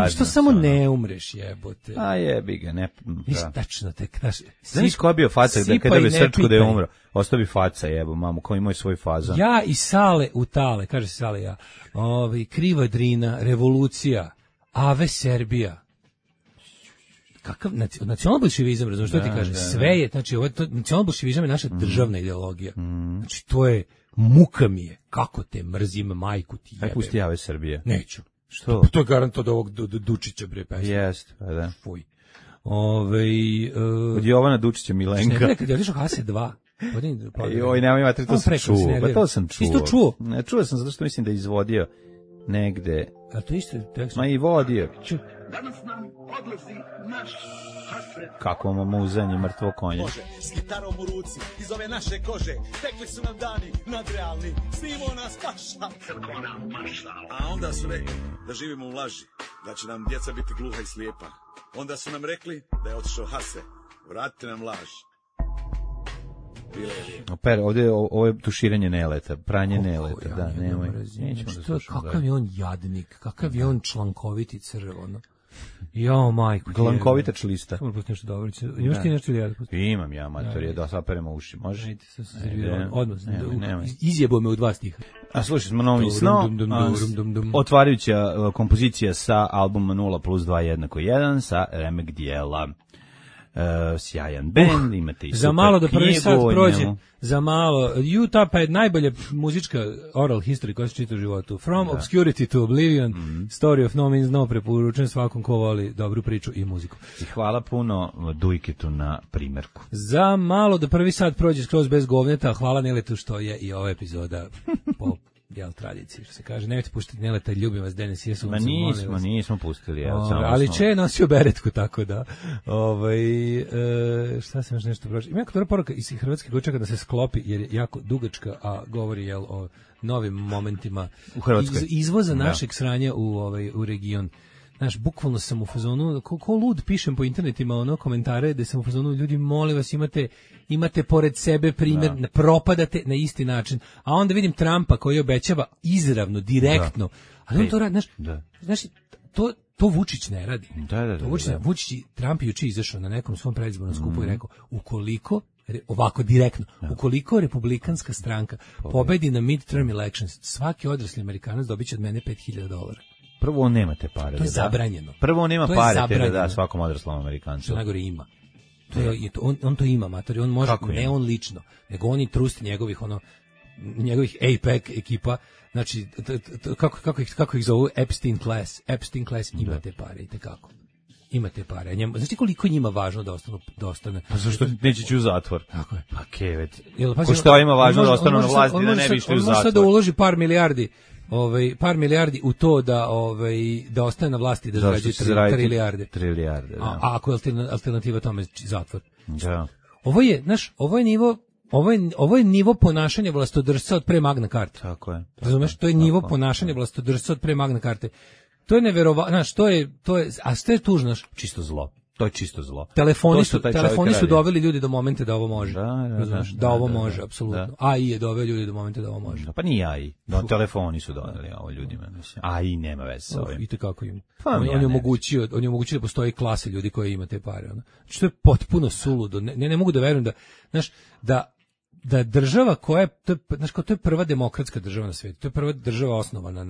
što samo ne umreš, jebote? A jebi ga, ne. Tačno tek, znaš ko je bio faca da kada bi Srčko da je umro, ostao bi faca, jebo, mamu, koji imaju svoj fazon. Ja i Sale u Tale, kaže se Sale ja, Kriva Drina, Revolucija, Ave Serbija. Kakav nacionalbolševizam, razumiješ što ti kaže? Sve je, znači, nacionalbolševizam je naša državna ideologija. Znači, to je, muka mi je, kako te mrzim, majku ti jebe. Aj pusti Ave Serbija. Neću. Što? To je garant od ovog Dučića, bre, pesma. Jest, pa da. Fuj. Od Jovana Dučića Milenka. Kad je otišao Hase 2. Joj, nemoj imati, to sam čuo. Pa to sam čuo. Isto čuo? Ne, čuo sam zato što mislim da je izvodio negde. A to isto tekst? Ma i vodio. Danas nam odlazi naš Hasret. Kako muzanje mrtvo konje. Može, s gitarom u ruci, iz ove naše kože, tekli su nam dani nadrealni, snimo nas paša. Crkvena marša. A onda su rekli da živimo u laži, da će nam djeca biti gluha i slijepa. Onda su nam rekli da je otišao Hase, vratite nam laž. Ovdje ovo je tuširanje neleta, pranje neleta, da, nemoj. Kakav je on jadnik, kakav je on člankoviti crv, ono. Jo, majko. Glankovita člista. Samo pusti nešto dobro. Imaš ti nešto ili ja da pustim? Imam ja, mater, da saperemo uši, može? Odmah, izjebo me u 2 stiha. A slušaj smo novi sno, otvarajuća kompozicija sa albuma 0+2=1 sa remek dijela. Sjajan band, imate i super za malo da prvi sat prođe, njemu. Za malo, Utah pa je najbolja muzička oral history koja se čita u životu. From Obscurity to Oblivion, Story of No Means No, preporučujem svakom ko voli dobru priču i muziku. I hvala puno Dujketu na primjerku. Za malo da prvi sat prođe skroz bez govneta, hvala Neletu što je i ova epizoda po tradiciji, što se kaže. Nemojte puštati Neleta, ljubim vas, Denis Jesu. Ma nismo pustili. Ali Če je nosio beretku, tako da. Šta sam još nešto pročio? Ima jako dobra poruka iz Hrvatske koja čeka da se sklopi, jer je jako dugačka, a govori o novim momentima u Hrvatskoj. Izvoza našeg sranja u region. Znaš, bukvalno sam u fazonu, ko lud pišem po internetima komentare da sam u fazonu, ljudi, molim vas, imate pored sebe primjer, propadate na isti način. A onda vidim Trumpa koji obećava izravno, direktno, ali on to radi, znaš, to Vučić ne radi. Vučić, Trump je juče izašao na nekom svom predizbornom skupu i rekao, ovako direktno, ukoliko republikanska stranka pobedi na midterm elections, svaki odrasli Amerikanac dobit će od mene $5.000. Prvo on nema te pare. To je zabranjeno. Prvo on nema pare da da svakom odraslom Amerikancu. Što najgore ima. On to ima, matori. On može, ne on lično, nego oni trusti njegovih njegovih APEC ekipa, znači kako ih zovu Epstein class ima te pare i tekako. Ima te pare. Znači koliko njima važno da ostane. Pa zašto neće ići u zatvor? Tako je. Pa kevet. Ko što ima važno da ostane na vlasti, da ne bi išli u zatvor. On može da uloži par milijardi u to da ostane na vlasti i da zarađuje trilijarde. A ako je alternativa tome zatvor. Da. Ovo je nivo ponašanja vlastodržca od pre Magna Carte. Tako je. Razumeš? To je nivo ponašanja vlastodržca od pre Magna Carte. To je neverovatno, znaš, a što je tužno, čisto zlo. To je čisto zlo. Telefoni su doveli ljudi do momenta da ovo može. Da ovo može, apsolutno. Da. AI je doveo ljudi do momenta da ovo može. Pa nije AI, telefoni su doveli ovo ljudima. AI nema veze sa ovim. I tekako ima. On je omogućio da postoji klase ljudi koji ima te pare. Što je potpuno suludo. Ne mogu da verujem da, znaš, da država koja je, to je prva demokratska država na svijetu, to je prva država osnovana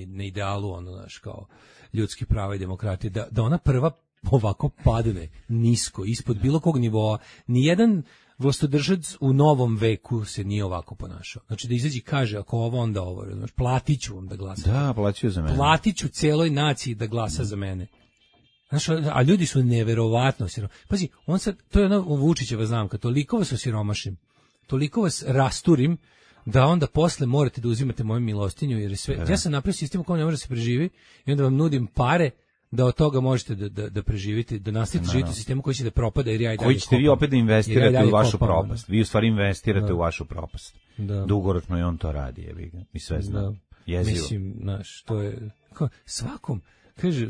na idealu, znaš, kao ljudskih prava i demokratije, da ona prva ovako padne nisko, ispod bilo kog nivoa. Nijedan vlastodržac u novom veku se nije ovako ponašao. Znači da izađi kaže, ako ovo, onda ovo, znaš, platit ću vam da glasate. Da, plaću za mene. Platit ću cijeloj naciji da glasa za mene. Znaš, a ljudi su neverovatno siromašni. Pazi, to je Vučićeva znamka, toliko vas osiromašim, toliko vas rasturim, da onda posle morate da uzimate moju milostinju, jer sve, ja sam napravio sistem u kojem ne može da se preživi i onda vam nudim pare da od toga možete da preživite, da nastavite živjeti u sistemu koji će da propada, jer ja i dalje koji ćete vi opet da investirate u vašu propast. Vi u stvari investirate u vašu propast. Dugoročno i on to radi, jebi ga. Mi sve znamo. Jezivo. Mislim, znaš, to je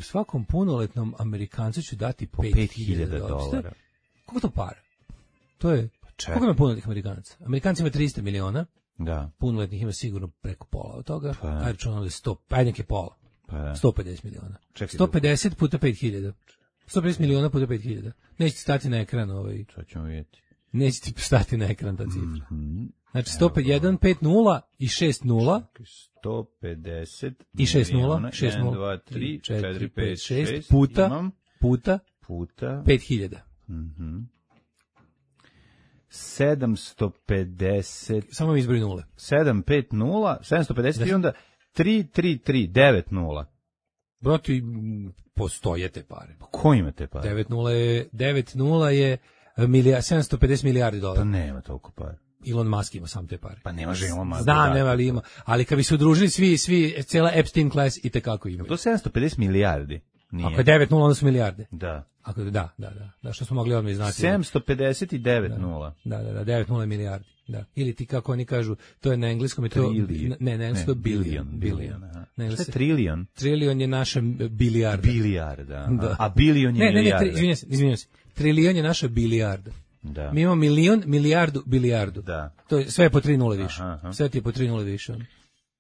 svakom punoletnom Amerikancu ću dati po $5.000. Koliko to para? To je koliko ima punoletnih Amerikanaca? Amerikanci ima 300 miliona. Da. Punoletnih ima sigurno preko pola od toga. Ajde računamo da je 100, ajde nek je pola. 150 miliona. 150 puta 5.000. 150 miliona puta 5.000. Nećete stati na ekran Sad ćemo vidjeti. Nećete stati na ekran ta cifra. Znači 151, 5 0 i 6 0. 150 i 6 0, 6 0, 2, 3, 4, 5, 6 puta 5.000. 750. Samo mi izbori nule. 750, 750 i onda 333, 9-0. Brati, postoje te pare. Ko ima te pare? 9-0 je 750 milijardi dolara. Pa nema toliko pare. Elon Musk ima sam te pare. Pa ne može Elon Musk. Znam, nema, ali ima. Ali kad bi se udružili svi, cijela Epstein class i tekako imaju. To 750 milijardi. Nije. Ako je 9-0, onda su milijarde. Da. Da, što smo mogli odmah znati. 750 i 9-0. Da, 9-0 je milijardi. Da. Ili ti, kako oni kažu, to je na engleskom, je to... Ne, na engleskom je billion. Šta je trilion? Trilion je naša bilijarda. Bilijarda, a billion je milijarda. Izvinjam se. Trilion je naša bilijarda. Da. Mi imamo milion, milijardu, bilijardu. Da. To je sve po 3 nule više. Sve ti je po 3 nule više.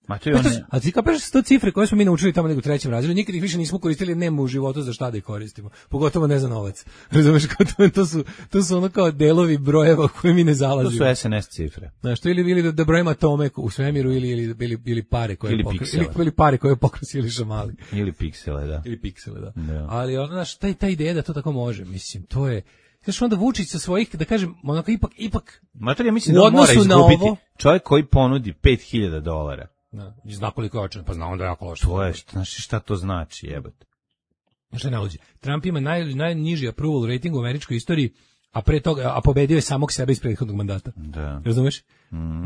Ma to je a ti kapaš sto cifre koje smo mi naučili tamo nego u 3. razredu, nikad ih više nismo koristili, nema u životu za šta da ih koristimo. Pogotovo ne za novac. Razumeš, to su ono kao delovi brojeva koje mi ne zalazimo. To su SNS cifre. Znaš, to ili da brojimo atome u svemiru ili pare koje ili pare koje pokrasili šamali. Ili piksele, da. Ili piksele, da. Ali ono, znaš, ta ideja da to tako može, mislim, to je. Znaš, onda Vučić sa svojih, da kažem, onako ipak Mater, ja mislim da mora izgubiti čovjek koji ponudi $5.000. Zna koliko je očan, pa zna onda jako loše. To je, šta to znači, jebote? Šta ne luđi? Trump ima najniži approval rating u američkoj istoriji, a pre toga, a pobedio je samog sebe iz prethodnog mandata. Da. Razumeš?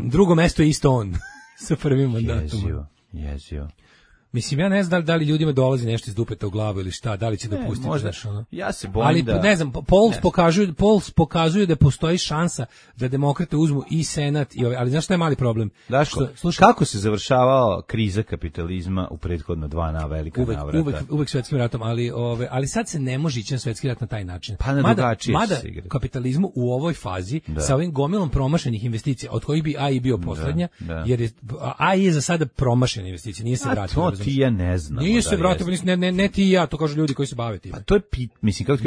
Drugo mesto je isto on sa prvim mandatom. Jezio. Mislim, ja ne znam da li ljudima dolazi nešto iz dupeta u glavu ili šta, da li će dopustiti. Možda, ja se bojim ali, da... Ali, ne znam, polls pokazuju da postoji šansa da demokrate uzmu i senat, ali znaš šta je mali problem? Daško, kako se završavala kriza kapitalizma u prethodno 2 velika navrata? Uvek svetskim ratom, ali sad se ne može ići na svetski rat na taj način. Pa na drugačije mada kapitalizmu u ovoj fazi, sa ovim gomilom promašenih investicija, od kojih bi AI bio poslednja, jer je, AI je za sada promašena investicija, nije se vratila. Ti ja ne znam. Nije se vratio, ne ti i ja, to kažu ljudi koji se bave time. A to je mislim kako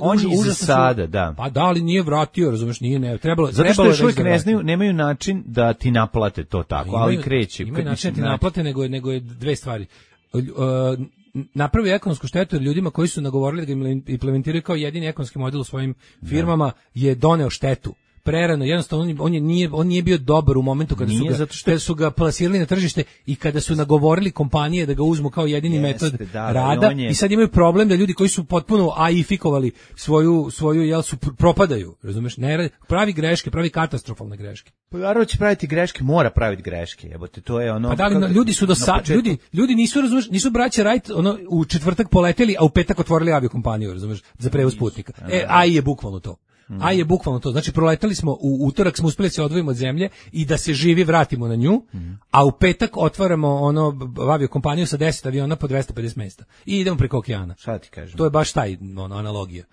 on je za sada, da. Pa da, ali nije vratio, razumeš, nije trebalo. Zato što još uvijek ne znaju, nemaju način da ti naplate to tako, ali kreće. Imaju način da ti naplate, nego je dve stvari. Napravi ekonomsku štetu jer ljudima koji su nagovorili da ga implementiraju kao jedini ekonomski model u svojim firmama je doneo štetu. prerano, jednostavno on nije bio dobar u momentu kada su ga plasirali na tržište i kada su nagovorili kompanije da ga uzmu kao jedini metod rada i sad imaju problem da ljudi koji su potpuno AI-fikovali svoju jel su propadaju, razumeš? Pravi greške, pravi katastrofalne greške. Pa naravno će praviti greške, mora praviti greške. Jebote, to je ono. Pa da li ljudi su ljudi nisu, razumeš, nisu braća Wright ono u četvrtak poleteli, a u petak otvorili aviokompaniju, razumeš, za prevoz putnika. AI je bukvalno to. AI je bukvalno to. Znači proletali smo u utorak smo uspeli se odvojimo od zemlje i da se živi vratimo na nju, a u petak otvaramo aviokompaniju sa 10 aviona po 250 mesta. I idemo preko okeana. Šta ti kažem? To je baš taj analogija.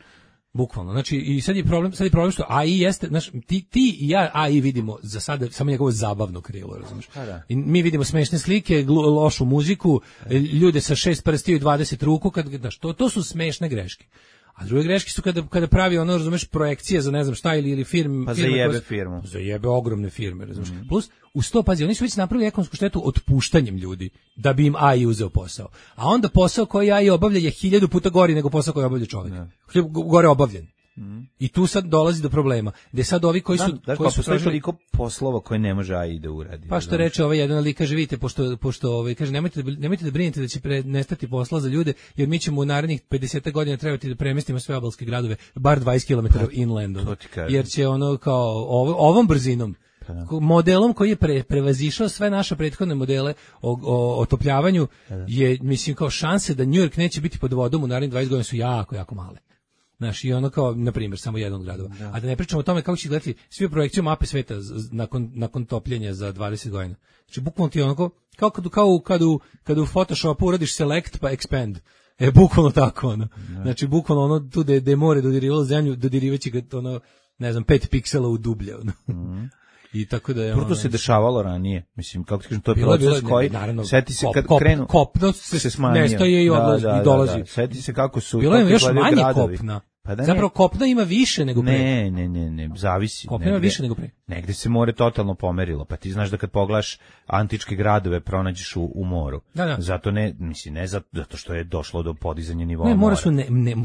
Bukvalno. Znači i sad je problem što AI jeste, znači ti i ja AI vidimo za sada samo njegovo zabavno krilo, razumiješ? I mi vidimo smešne slike, lošu muziku, ljude sa 6 prstiju i 20 ruku, to su smešne greške. A druge greške su kada pravi ono, razumeš, projekcije za ne znam šta ili firme. Pa zajebe firmu. Zajebe ogromne firme, razumeš. Plus, uz to, pazi, oni su već napravili ekonomsku štetu otpuštanjem ljudi da bi im AI uzeo posao. A onda posao koji AI obavlja je 1000 puta gori nego posao koji obavlja čovjek. Gore obavljen. I tu sad dolazi do problema. Gde sad ovi koji su... postoji toliko poslova koje ne može AI da uradi. Pa što reče ovaj jedan lik, kaže, vidite, pošto kaže, nemojte da brinete da će nestati posla za ljude, jer mi ćemo u narednih 50 godina trebati da premestimo sve obalske gradove, bar 20 km inland. Jer će ono kao ovom brzinom, modelom koji je prevazišao sve naše prethodne modele o otopljavanju, je, mislim, kao šanse da New York neće biti pod vodom u narednih 20 godina su jako, jako male. Znaš, i ono kao, na primjer, samo jedan od gradova. A da ne pričamo o tome kako će gledati svi projekciju mape sveta nakon topljenja za 20 godina. Znači, bukvalno ti ono kada u Photoshopu uradiš select pa expand. Bukvalno tako, ono. Znači, bukvalno ono, tu da je more dodirivalo zemlju, dodirivaći ga, ono, ne znam, 5 piksela u dublje, ono. I tako da je to se dešavalo ranije. Mislim, kako ti kažem, to je proces koji seti se kad krenu kopno se smanjio, nestaje i odlazi i dolazi. Seti se kako su bilo je još manje kopna. Zapravo kopna ima više nego pre. Ne, zavisi. Kopna ima više nego pre. Negde se more totalno pomerilo, pa ti znaš da kad pogledaš antičke gradove pronađeš u moru. Zato zato što je došlo do podizanja nivoa mora.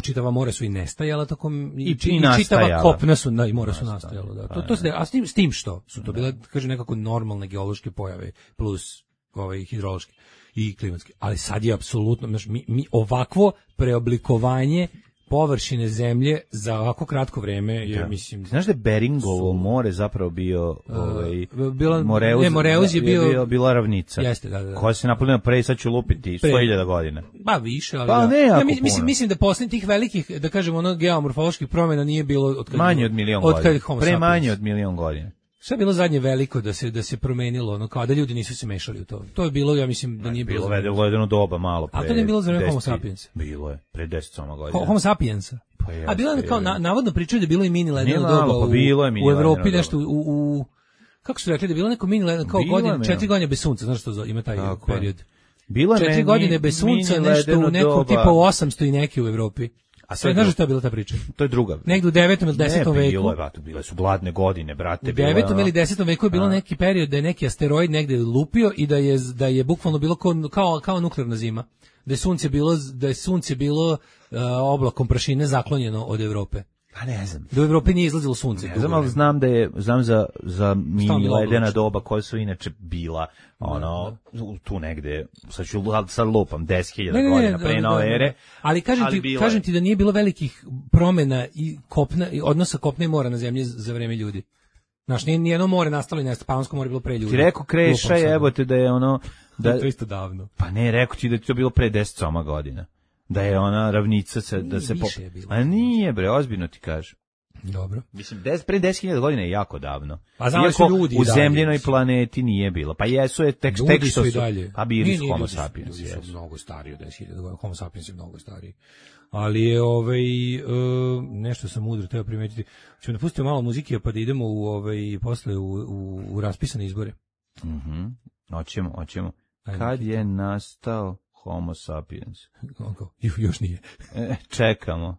Čitava mora su i nestajala, tako i čitava kopna su, i mora su nastajala. A s tim što su to bile, kaže, nekako normalne geološke pojave plus hidrološke i klimatske. Ali sad je apsolutno, mi ovakvo preoblikovanje površine zemlje za ovako kratko vreme je, mislim... Znaš da je Beringovo more zapravo bio... Moreuz je bila ravnica. Jeste, da. Koja se napunila pre, sad ću lupiti 100.000 godina. Ba, više, ali... Pa ne, jako mislim da posle tih velikih, da kažemo, geomorfoloških promjena nije bilo... Manje od 1.000.000 godina. Pre manje od 1.000.000 godina. Sve je bilo zadnje veliko da se promenilo, ono, kao da ljudi nisu se mešali u to. To je bilo, ja mislim, da nije bilo. Bilo jedno doba malo pre. A to nije bilo za Homo sapiensa. Bilo je, pre 10 godina. Homo sapiensa. A bilo je kao, navodno pričaju da je bilo i mini ledeno doba u Evropi, nešto u kako su rekli, da je bilo neko mini ledeno, kao 4 godine bez sunca, znaš što ima taj period. 4 godine bez sunca, nešto u nekom tipu 800 i neki u Evropi. A sve znaš šta je bila ta priča? To je druga. Negdje u 9. ili 10. veku. Bile su bladne godine, brate. U 9. ili 10. veku je bilo neki period da je neki asteroid negde lupio i da je bukvalno bilo kao nuklearna zima. Da je sunce bilo oblakom prašine zaklonjeno od Evrope. Pa ne znam. Da u Evropi nije izlazilo sunce. Ne znam, ali znam za mini ledena doba koja su inače bila tu negde, sad lupam 10.000 godina pre nove ere. Ali kažem ti da nije bilo velikih promjena i odnosa kopna i mora na zemlji za vreme ljudi. Znaš, nijedno more nastalo i nestalo, Panonsko more bilo pre ljudi. Ti rekao Kreša, jebote, da je ono... To je isto davno. Pa ne, rekao ti da je to bilo pre 10 godina. Da je ona ravnica da se A nije, bre, ozbiljno ti kažem. Dobro. Mislim, pre 10.000 godina je jako davno. A znali su ljudi u zemljenoj planeti nije bilo. Pa jesu je tek što su... A bili su Homo sapiens. Ljudi su mnogo stariji od 10.000 godina. Homo sapiens je mnogo stariji. Ali je nešto sam mudro teo primetiti. Ćemo da pustimo malo muzike pa da idemo posle u raspisane izbore. Hoćemo. Kad je nastao Homo sapiens? Još nije. Čekamo.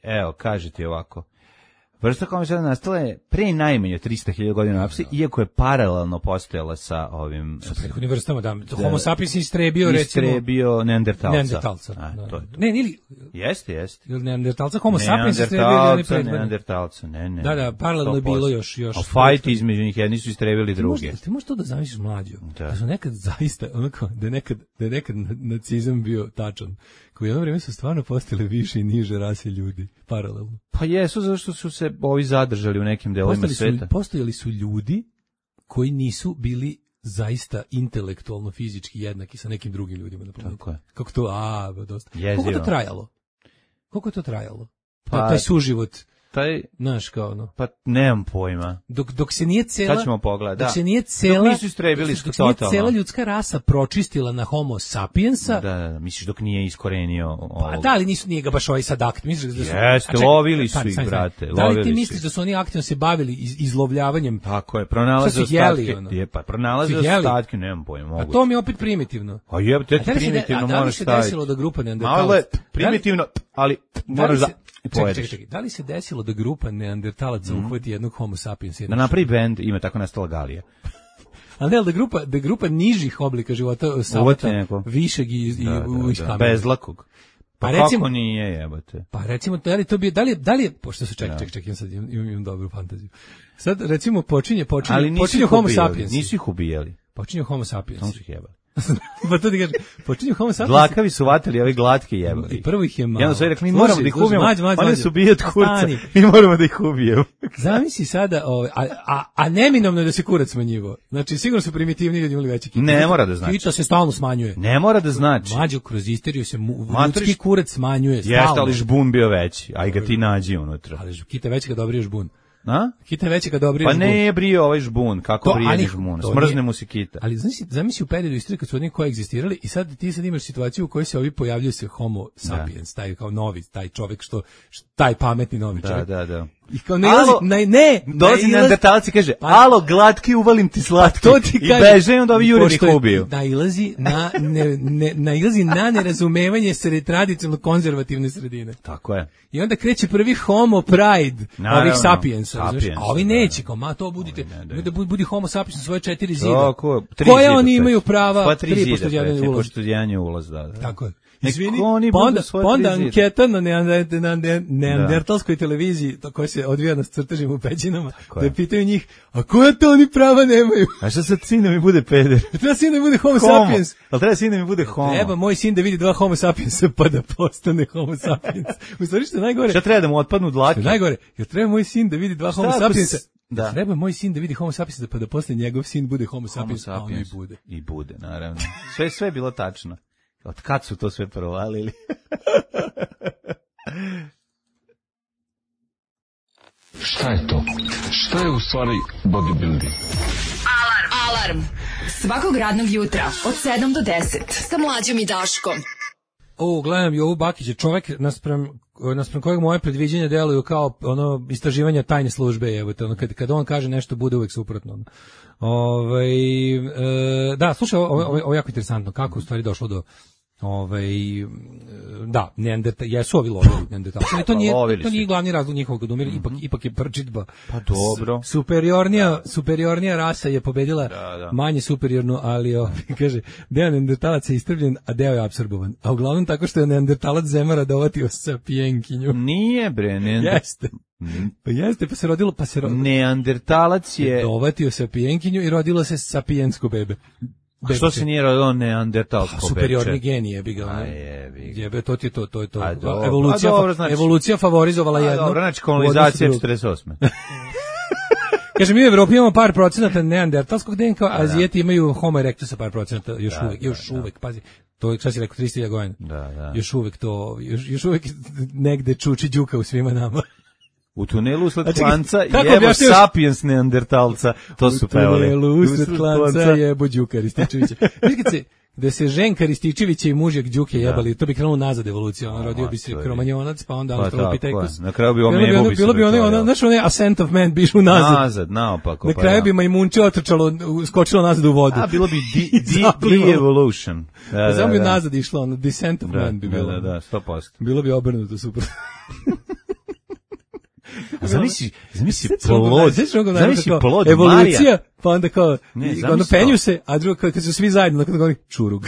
Evo, kaže ti ovako. Vrsta homo nastala je pre najmanje 300.000 godina u Africi, iako je paralelno postojala sa ovim... Sa prethodnim vrstama, da. Homo sapiens istrebio, recimo... Istrebio neandertalca. Da. Ne, ili... Jeste. Ili neandertalca, homo sapiens istrebio ili predmeni. Neandertalca, ne. Da, paralelno je bilo još... A fajt između njih, jedni su istrebili druge. Ti možeš to da zamisliš mlađo? Da su nekad zaista, da je nekad nacizam bio tačan. U jedno vrijeme su stvarno postale više i niže rase ljudi, paralelno. Pa jesu, zašto su se ovi zadržali u nekim delovima sveta. Postojali su ljudi koji nisu bili zaista intelektualno, fizički jednaki sa nekim drugim ljudima na planeti. Tako je. Kako to, dosta. Jezivo. Koliko je to trajalo? Pa, taj suživot. Znaš kao ono. Pa nemam pojma. Dok se nije cela... Sad ćemo pogledati, dok se nije cela... Dok nisu istrebili totalno. Dok se nije cela ljudska rasa pročistila na homo sapiensa... Da, misliš dok nije iskorenio... Pa da, ali nije ga baš ovaj sad akt. Jeste, lovili su ih, brate. Da li ti misliš da su oni aktivno se bavili izlovljavanjem? Tako je, pronalaze ostatke. Pronalaze ostatke, nemam pojma. A to mi je opet primitivno. A jebate, primitivno moraš staviti. Da li se desilo da grupa neandertalaca... Malo je primitivno, ali moraš da... Čekaj, da li se desilo da grupa neandertalaca uhvati jednog homo sapiensa? Da napravi bend, ima tako nastala Galija. Ali ne, da grupa nižih oblika života savata, višeg i kamena. Bezlakog. Pa recimo, kako nije, jebate? Pa recimo, da li je, pošto su, čekaj, ja sad imam dobru fantaziju. Sad, recimo, počinje homo sapiens. Nisu ih ubijali. Počinje homo sapiens. Samo su ih jebali. Pa to ti kažem, počinju homo sapiens. Dlakavi su vatili, ovi glatki jebali. I prvo ih je malo. Jedno su rekli, mi moramo da ih ubijemo, oni su bijat kurca, mi moramo da ih ubijemo. Zamisli sada, a neminovno je da se kurac smanjivo. Znači, sigurno su primitivni ljudi imali veći kita. Ne mora da znači. Kita se stalno smanjuje. Ne mora da znači. Mlađo, kroz isteriju se ljudski kurac smanjuje stalno. Jeste, ali žbun bio veći, a i ga ti nađi unutra. Ali kita veći kad dobri žbun. A? Kita veći kad dobri žbun. Pa ne brije ovaj žbun, kako brije žbun, smrzne mu se kita. Ali zamisli u periodu istorije kad su oni koegzistirali i sad ti imaš situaciju u kojoj se ovi pojavljaju se homo sapiens, taj kao novi, taj čovjek taj pametni novi čovjek. Da. I kao ne, dolazi neandertalac i kaže, alo, glatki, uvalim ti slatki. To ti kaže, i beže, onda ovi jure ih ubiju. Nailazi na nerazumevanje tradicionalno konzervativne sredine. Tako je. I onda kreće prvi homo pride ovih sapiensa. A ovi neće, kao, to budite, budi homo sapiens na svoje 4 zida. Koje oni imaju prava? Pa 3 pošto jedan je ulaz, da. Tako je. Izvini, pa onda anketa na neandertalskoj televiziji koja se odvija na crtežima u pećinama, da pitaju njih, a koja to oni prava nemaju? A šta sad sin da mi bude peder? Treba sin da mi bude homo sapiens. Ali treba sin da mi bude homo. Treba moj sin da vidi 2 homo sapiensa pa da postane homo sapiens. U stvari što je najgore? Šta treba da mu otpadnu dlake? Najgore, jer treba moj sin da vidi 2 homo sapiensa. Da. Treba moj sin da vidi homo sapiensa pa da posle njegov sin bude homo sapiens, a on i bude. I bude, naravno. Sve je bilo tačno. Od kad su to sve provalili? Šta je to? Šta je u stvari bodybuilding? Alarm. Svakog radnog jutra od 7 do 10 sa Mlađom i Daškom. Gledam Jovu Bakića, čovek naspram kojeg moje predviđenja deluju kao istraživanja tajne službe, evo te, kad on kaže nešto bude uvek suprotno. Da, slušaj, ovo je jako interesantno, kako u stvari došlo do da, jesu ovi lovili neandertalci, ali to nije glavni razlog njihovog odumira, ipak je prčitba. Pa dobro. Superiornija rasa je pobedila manje superiornu, ali kaže, deo neandertalaca je istrbljen, a deo je apsorbovan. A uglavnom tako što je neandertalac zemara dovatio sapijenkinju. Nije bre, Jeste, pa se rodilo, neandertalac je dovatio sapijenkinju i rodilo se sapijensko bebe. A što se nije rodilo neandertalsko beče? Superiorni genije bi ga. Jebe, to je to. Evolucija favorizovala jedno. Dobro, znači kolonizacija 48. Kaže, mi u Evropi imamo par procenata neandertalskog DNK, a Azijeti imaju homo erectusa par procenata, još uvek, pazi. To je, šta si rekao, 300.000 godina. Da. Još uvek negde čuči đuka u svima nama. U tunelu usled klanca jebo sapiens neandertalca. To su pevali. U tunelu usled klanca jebo Đuka Rističevića. Da se ženka Rističevića i mužjak Đuke jebali, to bi krenulo nazad evolucija. Rodio bi se kromanjonac, pa onda Australopithecus. Na kraju bi omebo bi se. Bilo bi znaš onaj ascent of man, bi išlo nazad. Nazad, naopako. Na kraju bi majmunče otrčalo, skočilo nazad u vodu. A bilo bi de-evolution. Samo bi nazad išlo, descent of man bi bilo. Da, 100%. Bilo bi obrnuto, super. Zamisli plod evolucija, Marija. pa onda kao, ono penju se, a drugo kad su svi zajedno, onda govori čurug.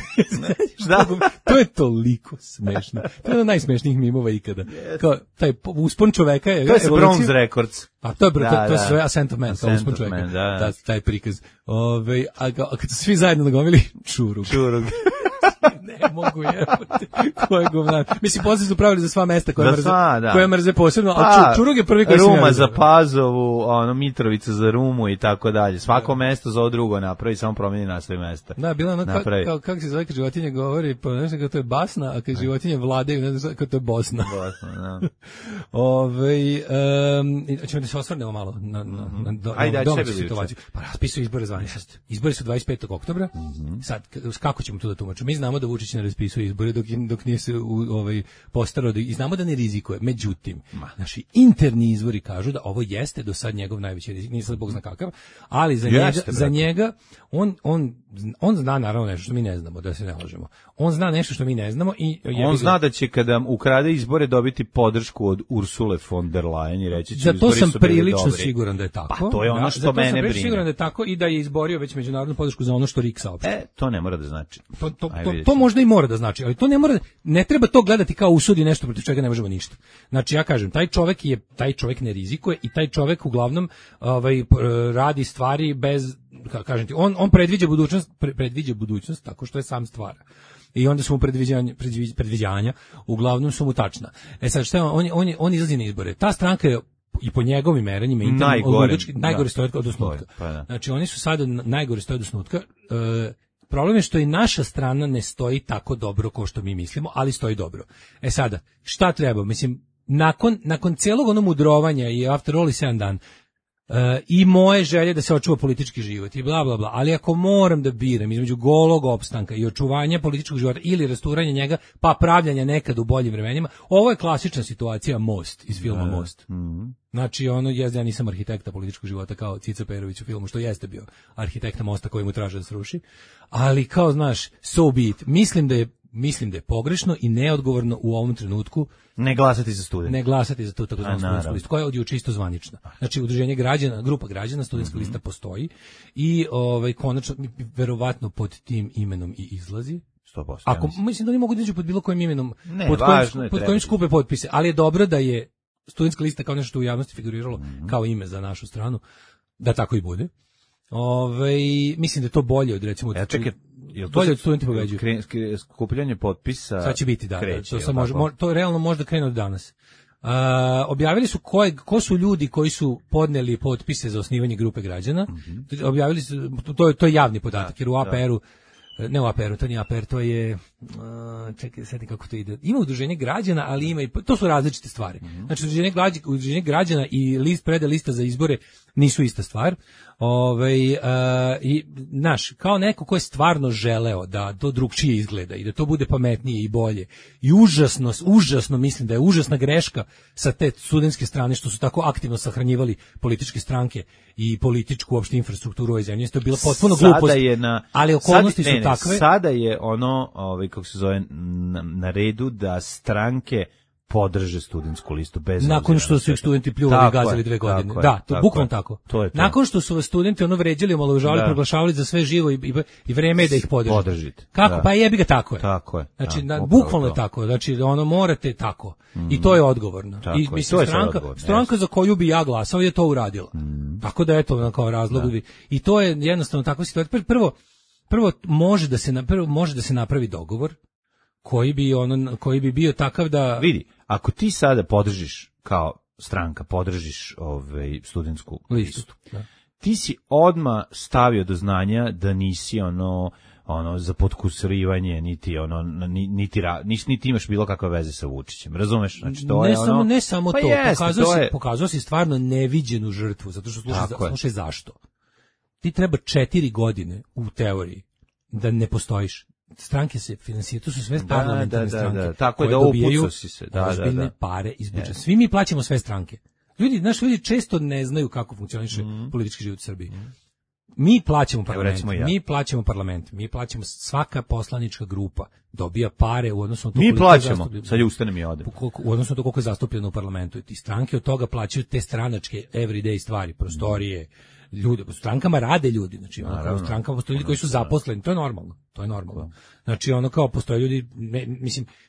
Da. To je toliko smešno. To je ono najsmešnijih mimova ikada. Kao, taj uspon čoveka je... To je Bronze Records. A to je sve Ascent of Man, to je uspon čoveka. Da, taj prikaz. A kad su svi zajedno nagomili, čurug. Ne mogu jebati. Ko je govnar? Mislim, poslije su pravili za sva mesta koje mrze posebno, a čurug je prvi koji se Ruma za Pazovu, Mitrovica za Rumu i tako dalje. Svako mesto za ovo drugo napravi, samo promijeni naslov mesta. Da, bilo ono kako se zove kad životinje govori, pa nešto kao to je basna, a kad životinje vladaju, ne znam kao to je Bosna. Bosna, da. Ćemo da se osvrnemo malo na domaću situaciju. Pa raspisuju izbore zvaničnosti. Izbori su 25. oktobra. Sad, kako ćemo to da tumačimo? Mi znamo da Vučić ne raspisuje izbore dok nije se postarao i znamo da ne rizikuje. Međutim, naši interni izvori kažu da ovo jeste do sad njegov najveći rizik, nije sad Bog zna kakav, ali za njega on zna naravno nešto što mi ne znamo, da se ne lažemo. On zna nešto što mi ne znamo i on zna da će kada ukrade izbore dobiti podršku od Ursule von der Leyen i reći će za to sam prilično siguran da je tako. Pa to je ono što mene brine. Siguran da je tako i da je izborio već međunarodnu podršku za ono što RIK saopštava. To ne mora da znači. To možda i mora da znači, ali to ne treba to gledati kao usudi nešto protiv čega ne možemo ništa. Znači ja kažem, taj čovjek ne rizikuje i taj čovjek uglavnom radi stvari bez, kažem ti, on predviđa budućnost tako što je sam stvara. I onda su mu predviđanja uglavnom su mu tačna. Sad šta je, on izlazi na izbore. Ta stranka je i po njegovim merenjima najgore stoje od osnutka. Znači oni su sada najgore stoje od osnutka. Problem je što i naša strana ne stoji tako dobro kao što mi mislimo, ali stoji dobro. Sada, šta treba? Mislim, nakon cijelog onog mudrovanja i after all i 7 dan, i moje želje da se očuva politički život i bla bla bla, ali ako moram da biram između golog opstanka i očuvanja političkog života ili rasturanja njega pa pravljanja nekad u boljim vremenima, ovo je klasična situacija Most iz filma Most. Znači ja nisam arhitekta političkog života kao Cica Perović u filmu, što jeste bio arhitekta Mosta koji mu traže da sruši, ali kao znaš, so be it. Mislim da je pogrešno i neodgovorno u ovom trenutku ne glasati za studente. Ne glasati za tu takozvanu studentsku listu, koja je od juče isto zvanična. Znači, udruženje građana, grupa građana, studentska lista postoji i konačno, verovatno pod tim imenom i izlazi. 100%. Mislim da oni mogu da iđu pod bilo kojim imenom, pod kojim skupe potpise, ali je dobro da je studentska lista kao nešto što u javnosti figuriralo kao ime za našu stranu, da tako i bude. Mislim da je to bolje od recimo bolje od studenti pobeđuju. Skupljanje potpisa. Sad će biti to realno možda krene od danas. Objavili su ko su ljudi koji su podneli potpise za osnivanje grupe građana. Objavili su, to je javni podatak, jer u APR-u, ne u APR-u, to nije APR, to je, čekaj, sjetim kako to ide. Ima udruženje građana, ali ima i, to su različite stvari. Znači, udruženje građana i predaja lista za izbore nisu ista stvar. I kao neko ko je stvarno želeo da to drugčije izgleda i da to bude pametnije i bolje. I užasno mislim da je užasna greška sa te studentske strane što su tako aktivno sahranjivali političke stranke i političku uopšte infrastrukturu u ovoj zemlji. To je bila potpuno glupost. Ali okolnosti su takve. Sada je kako se zove, na redu da stranke podrže studentsku listu bez nakon što su ih studenti pljuvali i gazili 2 godine. To bukvalno tako. Nakon što su vas studenti vređali, omalovažavali, proglašavali za sve živo i vreme je da ih podržite. Kako? Pa jebi ga, tako je. Znači, bukvalno je tako. Znači, morate tako. I to je odgovorno. I mislim, stranka za koju bi ja glasao je to uradila. Tako da eto kao razlog. I to je jednostavno takva situacija. Prvo može da se napravi dogovor koji bi bio takav da vidi, ako ti sada podržiš kao stranka, podržiš studentsku listu. Ti si odmah stavio do znanja da nisi za potkusurivanje, niti imaš bilo kakve veze sa Vučićem. Razumeš? Znači to ne samo to, pokazao si stvarno neviđenu žrtvu, zato što slušaj zašto. Ti treba 4 godine u teoriji da ne postojiš. Stranke se finansiraju, to su sve parlamentarne stranke. Tako je da upucao si se. Ozbiljne pare iz budžeta. Svi mi plaćamo sve stranke. Ljudi često ne znaju kako funkcioniše politički život u Srbiji. mi plaćamo parlament, mi plaćamo svaka poslanička grupa dobija pare u odnosu na to mi plaćamo, sad je ustanem i odem. U odnosu na to koliko je zastupljeno u parlamentu i ti stranke od toga plaćaju te stranačke everyday stvari, prostorije, ljudi, u strankama rade ljudi, znači u strankama postoje ljudi koji su zaposleni, to je normalno. Znači ono kao postoje ljudi,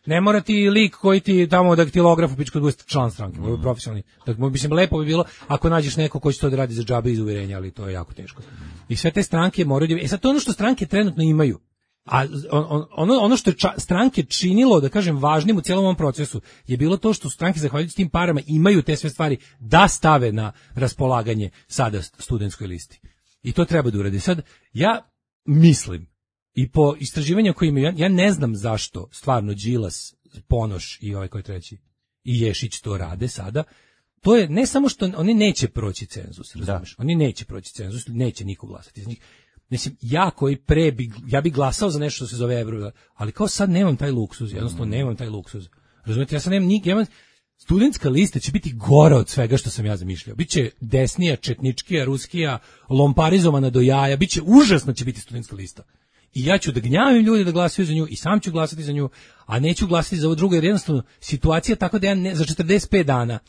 ne mora ti lik koji ti tamo daktilografu pičku bude član stranke, ovo je profesionalni. Dakle, mislim, lepo bi bilo ako nađeš neko ko će to da radi za džabe iz uverenja, ali to je jako teško. I sve te stranke moraju, sad to je ono što stranke trenutno imaju. A ono što je stranke činilo, da kažem, važnim u cijelom ovom procesu je bilo to što stranke, zahvaljujući tim parama, imaju te sve stvari da stave na raspolaganje sada studentskoj listi. I to treba da uradi. Sad, ja mislim, i po istraživanju koje imaju, ja ne znam zašto stvarno Đilas, Ponoš i ovaj koji treći, i Ješić to rade sada. To je ne samo što oni neće proći cenzus, razumiješ? Oni neće proći cenzus, neće niko glasati iz njih. Mislim, ja bi glasao za nešto što se zove evro, ali kao sad nemam taj luksuz, jednostavno nemam taj luksuz. Razumijete, ja sad nemam studentska lista će biti gora od svega što sam ja zamišljao. Biće desnija, četničkija, ruskija, lomparizovana do jaja, biće užasno će biti studentska lista. I ja ću da gnjavim ljudi da glasaju za nju i sam ću glasati za nju, a neću glasati za ovo drugo, jer jednostavno situacija tako da ja za 45 dana,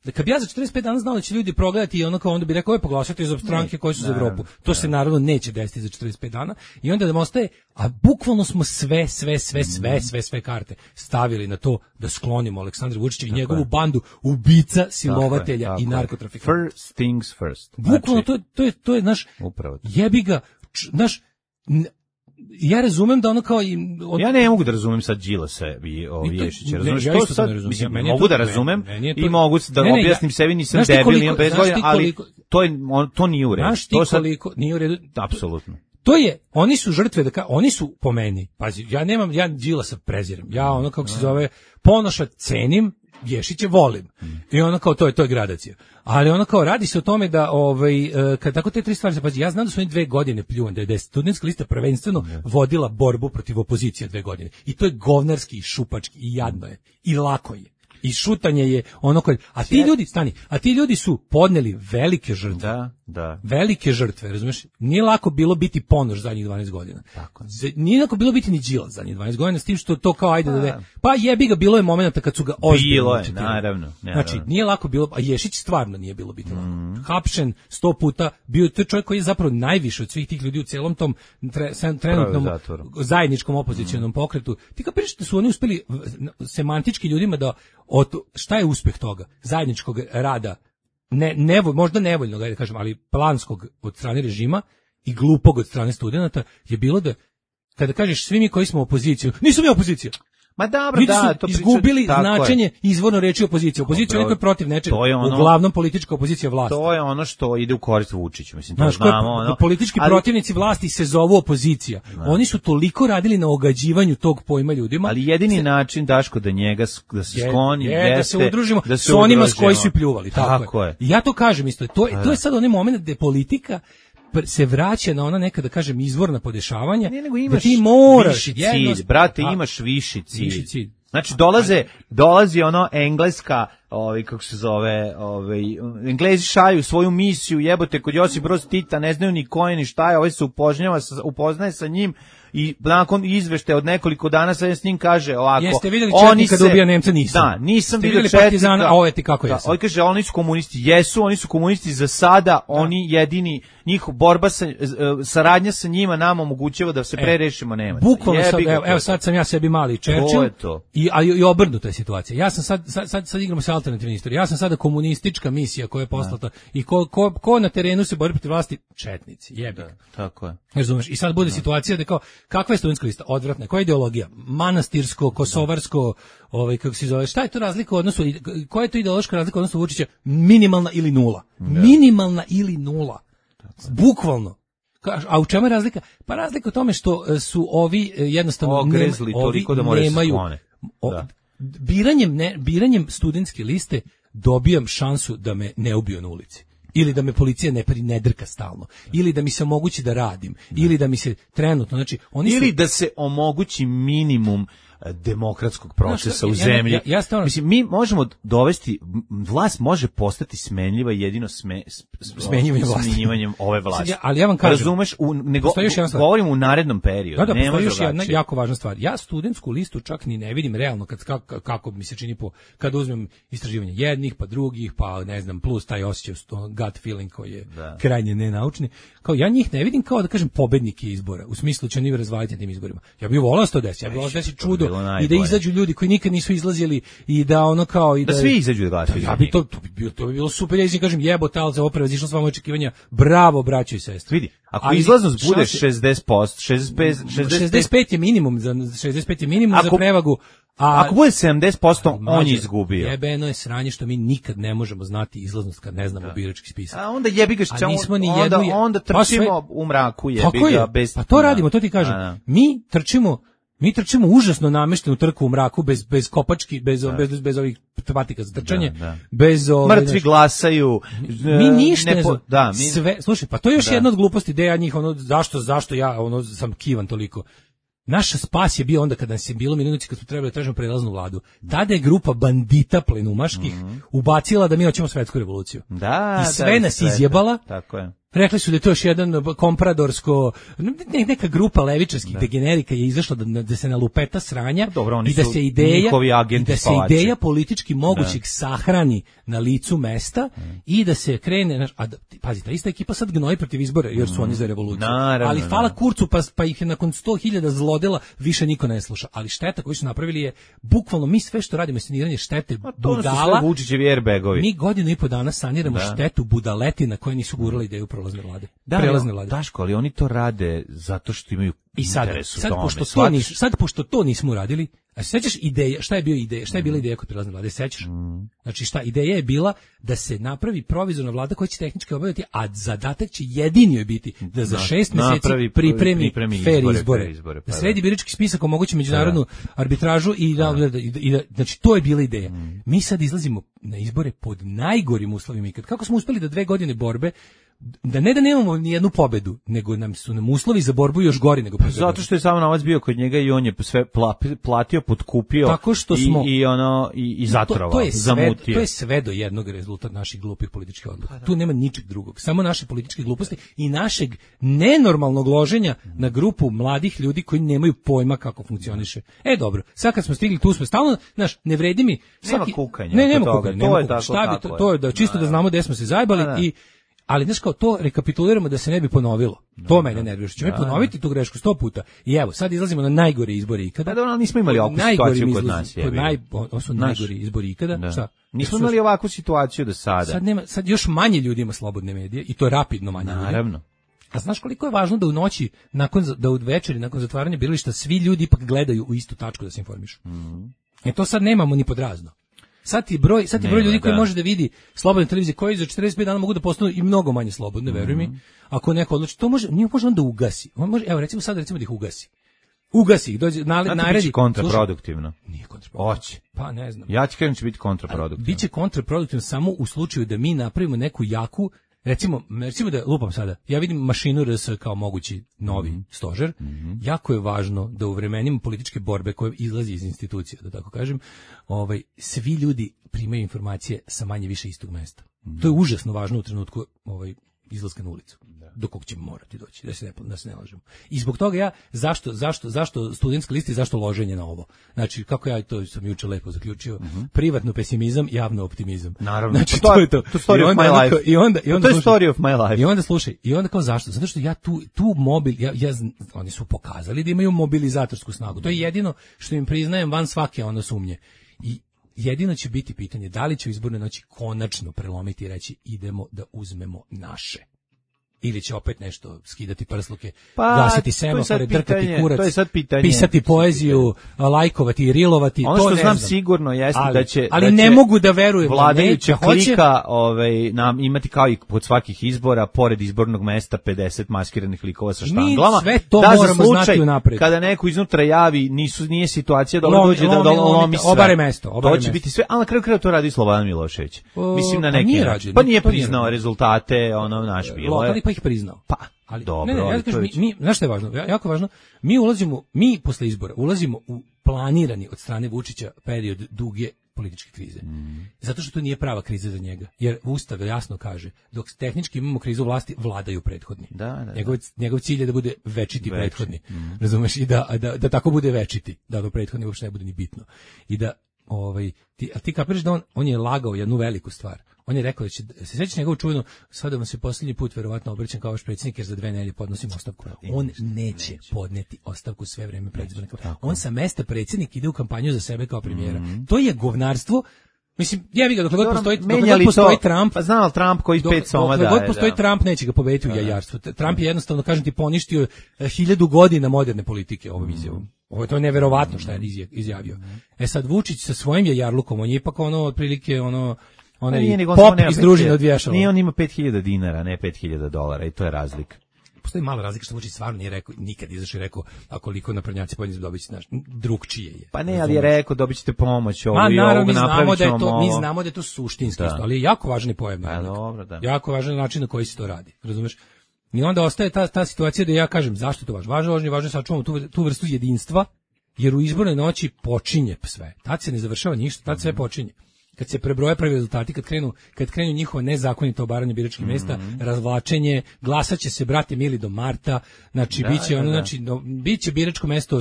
da kad bi ja za 45 dana znao da će ljudi progledati i onako, onda bi rekao, poglasati za stranke koje su za Evropu. To se naravno neće desiti za 45 dana i onda da ostaje, a bukvalno smo sve karte stavili na to da sklonimo Aleksandra Vučića i njegovu bandu ubica, silovatelja i narkotrafikanta. First things first. Bukvalno to je naš jebi ga, naš ja razumem da ono kao ja ne mogu da razumem sad Đilasa i Ješića, razumeš što sad, mislim, mogu da razumem i mogu da objasnim sebi, nisam debil, imam 5 godina, ali to nije u redu. Znaš ti koliko nije u redu? Apsolutno. To je, oni su žrtve, oni su po meni, pazi, ja Đilasa prezirem, ja ono kako se zove, Ponoša cenim, Ješića volim. I ono kao to je gradacija. Ali ono kao radi se o tome da kad tako te tri stvari, pazi, ja znam da su oni 2 godine pljuvani, da je studentska lista prvenstveno vodila borbu protiv opozicije 2 godine. I to je govnarski i šupački i jadno je. I lako je. I šutanje je ono koje, a ti ljudi su podneli velike žrtve. Da. Velike žrtve, razumeš? Nije lako bilo biti Ponoš zadnjih 12 godina. Tako. Nije lako bilo biti ni Đilas zadnjih 12 godina, s tim što to kao ajde pa jebi ga, bilo je momenata kad su ga ozbiljno. Bilo je, naravno. Znači, nije lako bilo, a Ješić stvarno nije bilo biti lako. Hapšen 100 puta, bio je čovjek koji je zapravo najviše od svih tih ljudi u celom tom trenutnom zajedničkom opozicionom pokretu. Ti kao pričate su oni uspeli semantički ljudima da šta je uspeh toga zajedničkog rada, možda nevoljnog, da kažem, ali planskog od strane režima i glupog od strane studenata je bilo da kada kažeš svi mi koji smo opoziciju, nisam ja opozicija. Ma dobro, to izgubili značenje izvorno reči opozicija. Opozicija je neko protiv nečega, uglavnom politička opozicija vlasti. To je ono što ide u korist Vučiću, mislim, to znamo. Politički protivnici vlasti se zovu opozicija. Oni su toliko radili na ogađivanju tog pojma ljudima. Ali jedini način, Daško, da se skloni, da se udružimo s onima s koji su pljuvali. Tako je. I ja to kažem isto. To je sad onaj moment gde politika se vraća na ona neka, da kažem, izvorna podešavanja, da ti moraš cilj, brate, imaš viši cilj. Znači dolazi ono engleska, kako se zove, Englezi šalju svoju misiju, jebote, kod Josip Broz Tita, ne znaju ni ko je ni šta je, se upoznaje sa njim i nakon izvešte od nekoliko dana sad s njim kaže ovako. Jeste vidjeli četnika da ubija Nemca? Nisam. Da, nisam vidio četnika. A ovo je ti kako jesam. Oni kaže, oni su komunisti. Jesu, oni su komunisti za sada, oni jedini, njihov borba, saradnja sa njima nama omogućava da se prerešimo Nemaca. Bukvalno sad sam ja sebi mali Churchill i obrnuta je situacija. Ja sam sad igramo se alternativne istorije. Ja sam sada komunistička misija koja je poslata i ko na terenu se bori protiv vlasti? Četnici, jebi. Tako je. Razumeš? I sad bude situacija da kao, kakva je studentska lista? Odvratna. Koja je ideologija? Manastirsko, kosovarsko, kako se zove, šta je to razlika u odnosu, koja je to ideološka razlika u odnosu Vučića? Minimalna ili nula. Minimalna ili nula. Bukvalno. A u čemu je razlika? Pa razlika u tome što su ovi jednostavno ogrezli toliko da moraju se sklone. Biranjem studentske liste dobijam šansu da me ne ubiju na ulici. Ili da me policija ne drka stalno, ili da mi se omogući da radim, ili da mi se trenutno, znači oni ili da se omogući minimum demokratskog procesa u zemlji. Mislim, mi možemo dovesti, vlast može postati smenljiva jedino smenjivanjem ove vlasti. Ali ja vam kažem, razumeš, govorim u narednom periodu. Da, postoji još jedna jako važna stvar. Ja studentsku listu čak ni ne vidim realno kako mi se čini kad uzmem istraživanje jednih, pa drugih, pa ne znam, plus taj osjećaj, gut feeling koji je krajnje nenaučni. Kao ja njih ne vidim kao da kažem pobednike izbora, u smislu će oni razvaliti na tim izborima. Ja bih voleo 110, ja bih voleo da se čudo i da izađu ljudi koji nikad nisu izlazili i da ono kao i da svi izađu da glasaju. Ja bi to bi bilo super, ja kažem jebote, al za opravo izišlo s vama očekivanja. Bravo, braćo i sestre. Vidi, ako izlaznost bude 60%, 65 je minimum za 65 je minimum za prevagu. Ako bude 70%, on je izgubio. Jebeno je sranje što mi nikad ne možemo znati izlaznost kad ne znamo birački spisak. A onda jebi ga onda trčimo u mraku, jebi ga bez. Pa to radimo, to ti kažem. Mi trčimo užasno nameštenu trku u mraku bez kopački, bez ovih patika za trčanje, bez mrtvi glasaju. Mi ništa sve. Slušaj, pa to je još jedna od gluposti ideja njih, zašto ja sam kivan toliko. Naša spas je bio onda kada nas je bilo minuti kad smo trebali da tražimo prelaznu vladu. Tada je grupa bandita plenumaških ubacila da mi hoćemo svetsku revoluciju. I sve nas izjebala. Tako je. Rekli su da je to još jedan kompradorsko, neka grupa levičarskih degenerika je izašla da se nalupeta sranja i da se ideja politički mogućeg sahrani na licu mesta i da se krene, pazi, ta ista ekipa sad gnoji protiv izbora jer su oni za revoluciju. Ali hvala Kurcu pa ih je nakon 100.000 zlodela više niko ne sluša. Ali šteta koju su napravili je bukvalno mi sve što radimo saniranje štete budala. Vučićevi airbagovi. Mi godinu i po dana saniramo štetu budaletina koje nisu gurale ideju prelazne vlade. Daško, ali oni to rade zato što imaju interes u tome. Sad pošto to nismo uradili, a sećaš ideja, šta je bila ideja kod prelazne vlade, sećaš? Znači ideja je bila da se napravi provizorna vlada koja će tehnički obaviti, a zadatak će jedini joj biti da za 6 mjeseci pripremi fer izbore. Da sredi birački spisak, omogući međunarodnu arbitražu i znači to je bila ideja. Mi sad izlazimo na izbore pod najgorim uslovima ikad. Kako smo uspeli da 2 godine borbe da nemamo ni jednu pobedu, nego su nam uslovi za borbu još gori nego prošle. Zato što je samo novac bio kod njega i on je sve platio, potkupio tako što smo, i zatrovao, zamutio. To je sve do jednog rezultat naših glupih političkih odluka. Tu nema ničeg drugog. Samo naše političke gluposti i našeg nenormalnog loženja na grupu mladih ljudi koji nemaju pojma kako funkcioniše. Dobro, sad kad smo stigli tu smo stalno, ne vredi mi. Nema kukanja. Nema kukanja. To je da čisto da znamo gde smo se zajebali ali znaš kao to rekapituliramo da se ne bi ponovilo. To mene nervira. Što ćemo ponoviti tu grešku 100 puta. I evo, sad izlazimo na najgore izbore ikada. Ali nismo imali ovakvu situaciju kod nas. Ovo su najgori izbori ikada. Šta? Nismo imali ovakvu situaciju do sada. Sad još manje ljudi ima slobodne medije i to rapidno manje ljudi. Naravno. A znaš koliko je važno da u noći, da u večeri, nakon zatvaranja birališta, svi ljudi ipak gledaju u istu tačku da se informišu. To sad nemamo ni pod razno. Sad ti broj ljudi koji može da vidi slobodne televizije koji za 45 dana mogu da postanu i mnogo manje slobodne, veruj mi. Ako neko odluči, to može on da ugasi. On može, evo recimo da ih ugasi. Ugasi ih, dođe naredi. Biće kontraproduktivno. Nije kontraproduktivno. Hoće. Pa ne znam. Ja ti kažem će biti kontraproduktivno. Biće kontraproduktivno samo u slučaju da mi napravimo neku jaku, recimo da lupam sada, ja vidim mašinu RS kao mogući novi stožer. Jako je važno da u vremenima političke borbe koje izlazi iz institucija, da tako kažem, svi ljudi primaju informacije sa manje više istog mesta. To je užasno važno u trenutku izlaska na ulicu. Do kog ćemo morati doći, da se ne lažemo. I zbog toga ja, zašto studentska lista i zašto loženje na ovo? Znači, kako ja to sam juče lepo zaključio, privatno pesimizam, javno optimizam. Naravno, znači, to je to. To story of my life. To je story of my life. I onda slušaj, i onda kao zašto? Zato što ja tu oni su pokazali da imaju mobilizatorsku snagu. To je jedino što im priznajem van svake sumnje. I jedino će biti pitanje da li će u izbornoj noći konačno prelomiti i reći idemo da uzmemo naše. Ili će opet nešto skidati prsluke, gasiti semafore, drkati kurac, pisati poeziju, lajkovati i rilovati. Ono što znam sigurno jeste da će ne mogu da verujem vladajuća klika nam imati kao i kod svakih izbora, pored izbornog mesta 50 maskiranih likova sa štanglama. Sve to moramo znati unapred. Kada neko iznutra javi, nije situacija da dođe da lomi sve. Obare mesto. To će biti sve, ali na kraju to radi Slobodan Milošević. Mislim na neki način. Pa nije priznao rezultate, naš bilo je. Ih priznao. Ali dobro, mi znaš šta je važno? Jako važno. Mi posle izbora ulazimo u planirani od strane Vučića period duge političke krize. Zato što to nije prava kriza za njega. Jer Ustav jasno kaže, dok tehnički imamo krizu vlasti, vladaju prethodni. Njegov cilj je da bude večiti prethodni. Razumeš? I da tako bude večiti. Da do prethodni uopšte ne bude ni bitno. I da, ti kapiraš da on je lagao jednu veliku stvar. On je rekao da će, se sjećaš njegovu čuvenu, sada vam se posljednji put verovatno obraćam kao vaš predsjednik jer za 2 nedelje podnosim ostavku. On neće podneti ostavku sve vreme predizborne kampanje. On sa mesta predsjednik ide u kampanju za sebe kao premijera. To je govnarstvo. Mislim, jebi ga, dokle god postoji Trump, pa znao Trump koji 5 soma daje. Dokle god postoji Trump, neće ga pobediti u jajarstvu. Trump je jednostavno, kažem ti, poništio 1000 godina moderne politike ovom izjavom. Ovo je to neverovatno šta je izjavio. Sad Vučić sa svojim jajarlukom, on je ipak otprilike onaj pop iz družine od vješala. Nije, on ima $5.000, ne $5.000 i to je razlika. Postoji mala razlika što Vučić stvarno nije rekao, nikad izašao i rekao, a koliko naprednjaci podnije dobiti, znaš, drugčije je. Pa ne, ali je rekao, dobit ćete pomoć, ovo i ovo, napravit ćemo ovo. Mi znamo da je to suštinski, ali je jako važni pojam. Jako važan način na koji se to radi, razumeš? I onda ostaje ta situacija da ja kažem, zašto to važno je sačuvamo tu vrstu jedinstva, jer u izbornoj noći počinje sve. Tad se ne završava ništa, tad sve počinje. Kad se prebroje prvi rezultati, kad krenu njihovo nezakonito obaranje biračkih mesta, razvlačenje, glasaće se, brate mili, do marta, znači biće biračko mesto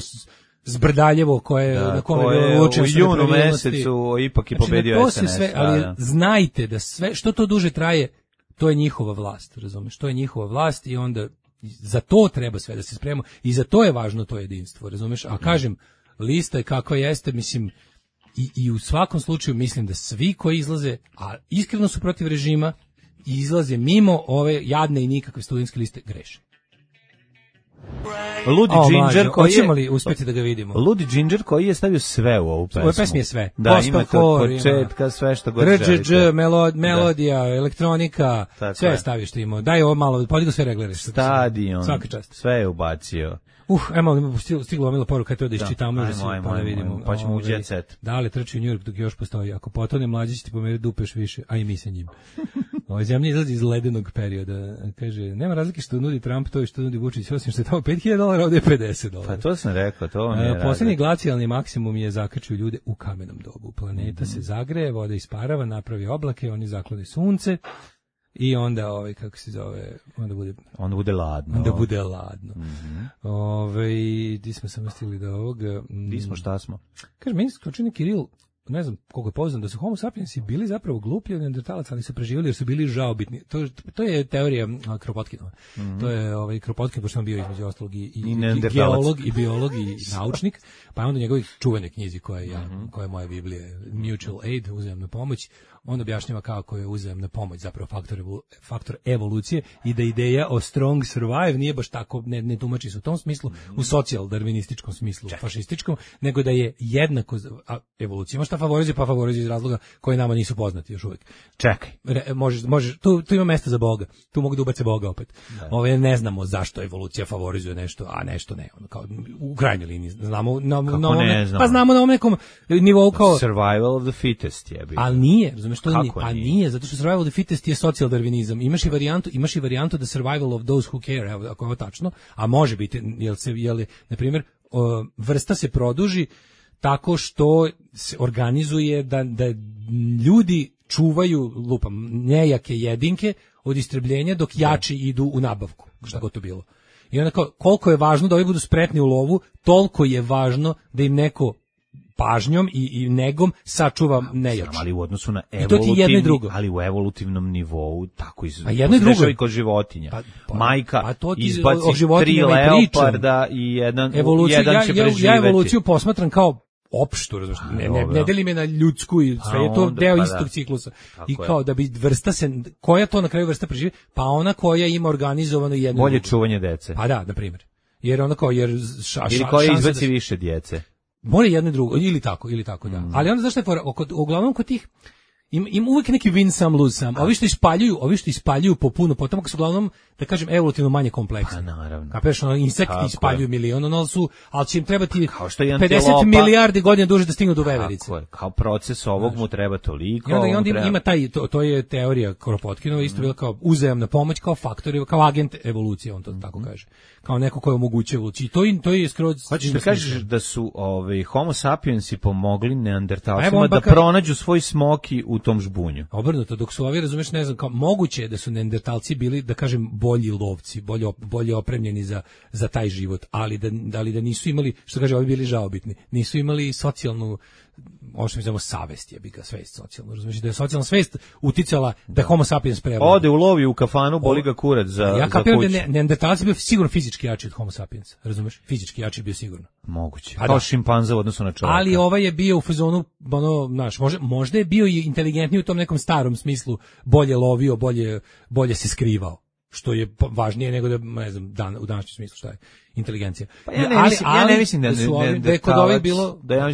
Zbrdaljevo na kome je u junu mesecu ipak i pobedio SNS. Ali znajte da sve što to duže traje, to je njihova vlast, razumeš? To je njihova vlast i onda za to treba sve da se spremamo i za to je važno to jedinstvo, razumeš? A kažem, lista je kakva jeste, mislim, i u svakom slučaju mislim da svi koji izlaze, a iskreno su protiv režima, i izlaze mimo ove jadne i nikakve studentske liste, greše. Ludi Ginger koji hoćemo li uspjeti da ga vidimo? Ludi Ginger koji je stavio sve u ovu pesmu. U ovoj pesmi je sve. Da, ima od početka sve što god želite. Melodija, elektronika, sve je stavio što ima. Daj ovo malo, podigo sve reglere. Stadion, sve je ubacio. Stiglo omila poruka, to da iščitamo, pa da vidimo. Pa ćemo u jet set. Da li trči u New York dok još postoji? Ako potone mlađi će ti pomeriti dupeš više, a i mi sa njim. Ova zemlja izlazi iz ledenog perioda. Kaže, nema razlike što nudi Trump to i što nudi Vučić, osim što je tamo $5.000, ovdje je $50. Pa to sam rekao, to mi je posljednji glacijalni maksimum je zakačio ljude u kamenom dobu. Planeta se zagreje, voda isparava, napravi oblake, oni zaklone sunce. I onda kako se zove, onda bude ladno. Di smo samo stigli do ovoga. Di smo, šta smo? Kaže, meni skočini Kiril, ne znam koliko je poznam, da su homo sapiensi bili zapravo gluplji od neandertalaca, ali su preživjeli jer su bili žaobitni. To je teorija Kropotkinova. To je Kropotkin, pošto sam bio između ostalog i geolog, i biolog, i naučnik, pa je onda njegovih čuvene knjizi koja je moja Biblija, Mutual Aid, uzajamna pomoć, on objašnjava kako je uzajamna pomoć zapravo faktor evolucije i da ideja o strong survive nije baš tako, ne tumači se u tom smislu, u socijal-darvinističkom smislu, fašističkom, nego da je jednako, a evolucija ima šta favorizuje, pa favorizuje iz razloga koji nama nisu poznati još uvijek. Čekaj. Možeš, tu ima mesta za Boga, tu mogu da ubace Boga opet. Ne znamo zašto evolucija favorizuje nešto, a nešto ne, kao u krajnjoj liniji. Znamo na ovom nekom nivou kao survival of the fittest je. Ali nije, nije, zato što survival of the fittest je socijaldarvinizam. Imaš i varijantu da survival of those who care, evo, ako je ovo tačno, a može biti, na primjer, vrsta se produži tako što se organizuje da ljudi čuvaju, nejake jedinke od istrebljenja dok jači idu u nabavku, šta god to bilo. I onda koliko je važno da ovi budu spretni u lovu, toliko je važno da im neko pažnjom i negom sačuva nejači. Ali u odnosu na ali u evolutivnom nivou tako jedno i drugo i kod životinja. Majka izbaci 3 leoparda i jedan će preživjeti. Ja evoluciju posmatram kao opštu, ne delim je na ljudsku i sve je to deo istog ciklusa. I kao da bi vrsta koja to na kraju vrsta preživi, pa ona koja ima organizovano jedno. Bolje čuvanje dece. Pa da, na primjer. Jer ona kao, ili koja izbaci više djece. Mora jedno i drugo, ili tako, da. Ali onda zašto je fora, uglavnom kod tih, im uvijek neki win some lose some. Ovi što ispaljuju po puno potomaka su uglavnom, da kažem, evolutivno manje kompleksni. Pa naravno. Kapiraš, insekti ispaljuju milion, ali će im trebati 50 milijardi godina duže da stignu do veverice. Kao proces ovog mu treba toliko. I onda ima to je teorija Kropotkinova, isto bila kao uzajamna pomoć, kao faktor, kao agent evolucije, on to tako kaže. Kao neko ko omogućuje evoluciju. To je skroz... Hoćeš da kažeš da su Homo sapiensi pomogli neandertalcima da pronađu svoj smoki u tom žbunju? Obrnuto, dok su ovi, razumeš, ne znam, kao moguće je da su neandertalci bili, da kažem, bolji lovci, bolje opremljeni za taj život, ali da nisu imali, što kaže, ovi bili žaobitni, nisu imali socijalnu, ovo što mi znamo, savest, svest socijalno, razumiješ, da je socijalna svest uticala da Homo sapiens prevlada. Ode u lovi u kafanu, boli ga kurac za kuću. Da neandertalac bio sigurno fizički jači od Homo sapiens, razumiješ, fizički jači bio sigurno. Moguće, kao šimpanza u odnosu na čovjeka. Ali ovaj je bio u fazonu, možda je bio i inteligentniji u tom nekom starom smislu, bolje lovio, bolje se skrivao. Što je važnije nego da, ne znam, u današnjem smislu šta je inteligencija. Pa ja ne mislim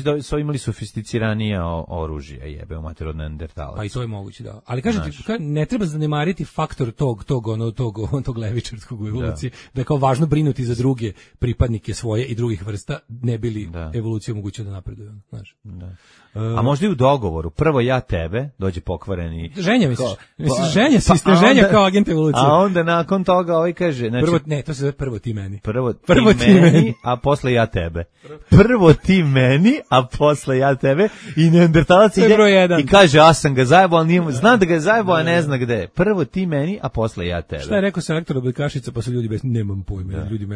da su imali sofisticiranije oružje, jebe u mater od neandertalaca. Pa i to je moguće, da. Ali kažem ti, ne treba zanemariti faktor tog levičarskog u evoluciji, da je kao važno brinuti za druge pripadnike svoje i drugih vrsta, ne bili evoluciju omogućio da napreduju, znaš. Da. A možda i u dogovoru, prvo ja tebe, dođe pokvareni... Ženja misliš? Ženja kao agent evolucije. A onda nakon toga ovaj kaže... Znači, to se zove prvo ti meni. Prvo ti meni, a posle ja tebe. Prvo ti meni, a posle ja tebe. I neandertalac ide i kaže, ja sam ga zajebao, ali zna da ga je zajebao, a ne zna gde. Prvo ti meni, a posle ja tebe. Šta je rekao selektor Oblikašica, pa su ljudi bez... Nemam pojma. Ljudi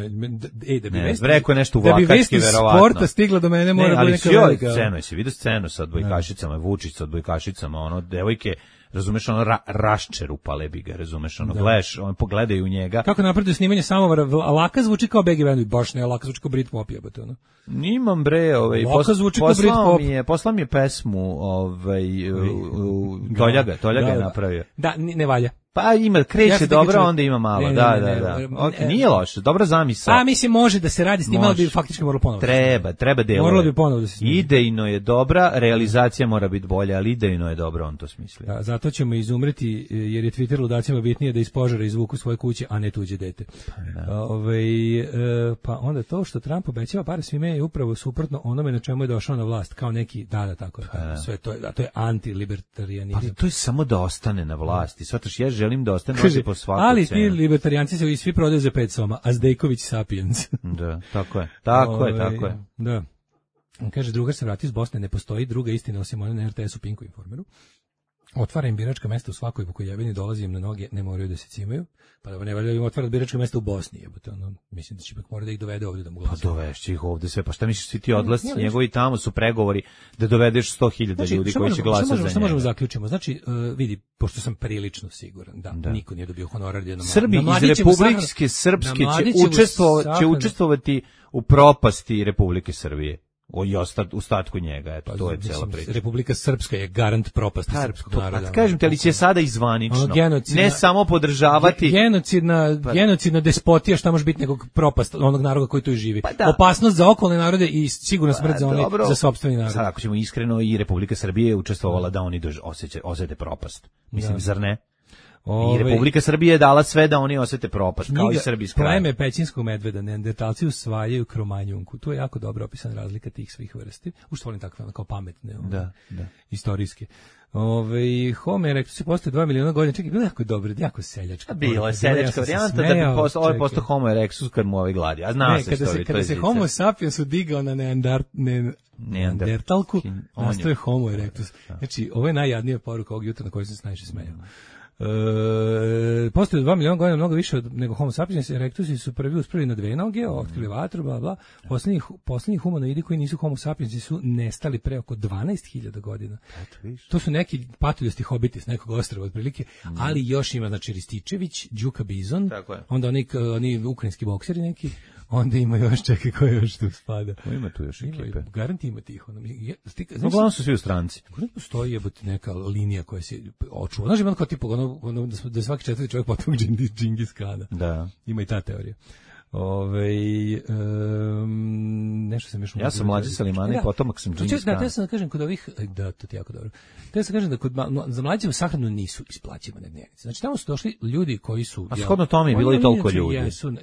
rekao nešto u Vlakački, verovatno. Sporta stigla do mene, mora biti neka velika. Jesi vidio scenu sa odbojkašicama, Vučić sa odbojkašicama, devojke, razumeš, raščerupale bi ga, razumeš, gledaš, pogledaju u njega. Kako napreduje snimanje samovara, Laka zvuči kao Begi Band, baš ne, Laka zvuči kao Brit Pop, jebate, ono. Nimam bre, Laka zvuči kao Brit Pop. Poslao mi je pesmu, Toljaga je napravio. Da, ne valja. Pa kreće dobro, onda ima malo, da. Nije loše, dobra zamisao. A mislim, može da se radi s tim, ali bi faktički moralo ponovo. Treba delove. Moralo bi ponovo da se snima. Idejno je dobra, realizacija mora biti bolja, ali idejno je dobro, on to smisli. Da, zato ćemo izumreti, jer je Twitter ludacima bitnije da iz požara izvuku svoje kuće, a ne tuđe dete. Pa onda to što Trump obećava pare svime je upravo suprotno onome na čemu je došao na vlast, kao neki, tako je, sve to je anti-libertarijanizam. Pa to je samo da ostane na vlasti, shvataš, ja želim da ostane po svaku ali cenu. Ali ti libertarijanci se svi prodaju za 5 soma, a Zdejković sapiens. Da, tako je. Da. On kaže, drugar se vrati iz Bosne, ne postoji druga istina osim one na RTS-u, Pinku, Informeru. Otvara im biračka mesta u svakoj Vukojevini, dolazi im na noge, ne moraju da se cimaju, pa da ne valja im otvara biračka mesta u Bosni, jebote, mislim da će ipak mora da ih dovede ovdje da mu glasa. Pa dovešće ih ovdje sve, pa šta misliš, svi ti odlasci njegovi tamo su pregovori da dovedeš 100.000 ljudi koji će glasati za njega. Šta možemo zaključimo? Znači, vidi, pošto sam prilično siguran da niko nije dobio honorar jednom. Srbi iz Republike Srpske će učestvovati u propasti Republike Srbije. I ostatku njega, eto, to je cela priča. Republika Srpska je garant propasti srpskog naroda. Pa kažem te, ali će sada izvanično, ne samo podržavati... Genocidna despotija, šta može biti nekog propast onog naroda koji tu živi. Opasnost za okolne narode i sigurno smrt za sopstveni narod. Sad, ako ćemo iskreno, i Republika Srbije je učestvovala da oni osjete propast. Mislim, zar ne? I Republika Srbije je dala sve da oni osete propast, kao i Srbi s krajem. Pleme pećinskog medveda, neandertalci usvajaju kromanjunku. Tu je jako dobro opisana razlika tih svih vrsti. Ušto volim takve kao pametne, istorijske. Homo erectus je postao 2 miliona godina. Čekaj, bilo jako dobro, jako seljačka. Bilo je seljačka varijanta da bi postao Homo erectus kad mu gladi. A zna se što je. Kada se Homo sapiens udigao na neandertalku, nastoje Homo erectus. Znači, ovo je najjadnija poruka ovog jutra na kojoj sam se najviše smejao. Postoje 2 miliona godina mnogo više nego Homo sapiens. Erectusi su prvi uspravili na 2 noge, otkrili vatru, bla bla. Poslednji humanoidi koji nisu Homo sapiensi su nestali pre oko 12.000 godina. To su neki patuljasti hobiti s nekog ostrva otprilike, ali još ima, znači, Rističević, Đuka Bizon, onda oni ukrajinski bokseri neki. Onda ima još, čekaj, ko još tu spada? Ima tu još ekipe. Garanti ima tih. Uglavnom su svi u stranci. Kako ne postoji neka linija koja se očuva? Znaš, ima kao tipu, da svaki četvrti čovjek potom Džingis Kana. Da. Ima i ta teorija. Nešto sam još... Ja sam mlađi Salimana i potomak sam Džingis Kana. Da, sam da kažem kod ovih... Da, to je jako dobro. Da sam kažem da kod za mlađe sahranu nisu isplaćivane dnevnice. Znači, tamo su došli ljudi koji su... A shodno tome je bilo i toliko ljudi.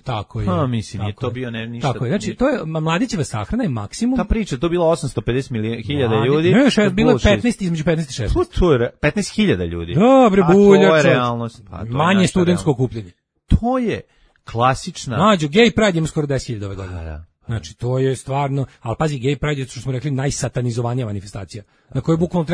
Tako je. Mislim, nije to bio ništa... Tako je, znači, to je mladićeva sahrana je maksimum... Ta priča, to je bilo 850.000 ljudi. Ne, bilo je 15, između 15 i 16. To je 15.000 ljudi. Dobre, bulja. To je realnost. Manje studentsko okupljenje. To je klasična... Mađo, gay pride ima skoro 10.000 ove godine. Da. Znači, to je stvarno, ali pazi, gay pride je, što smo rekli, najsatanizovanija manifestacija, na kojoj bukvalno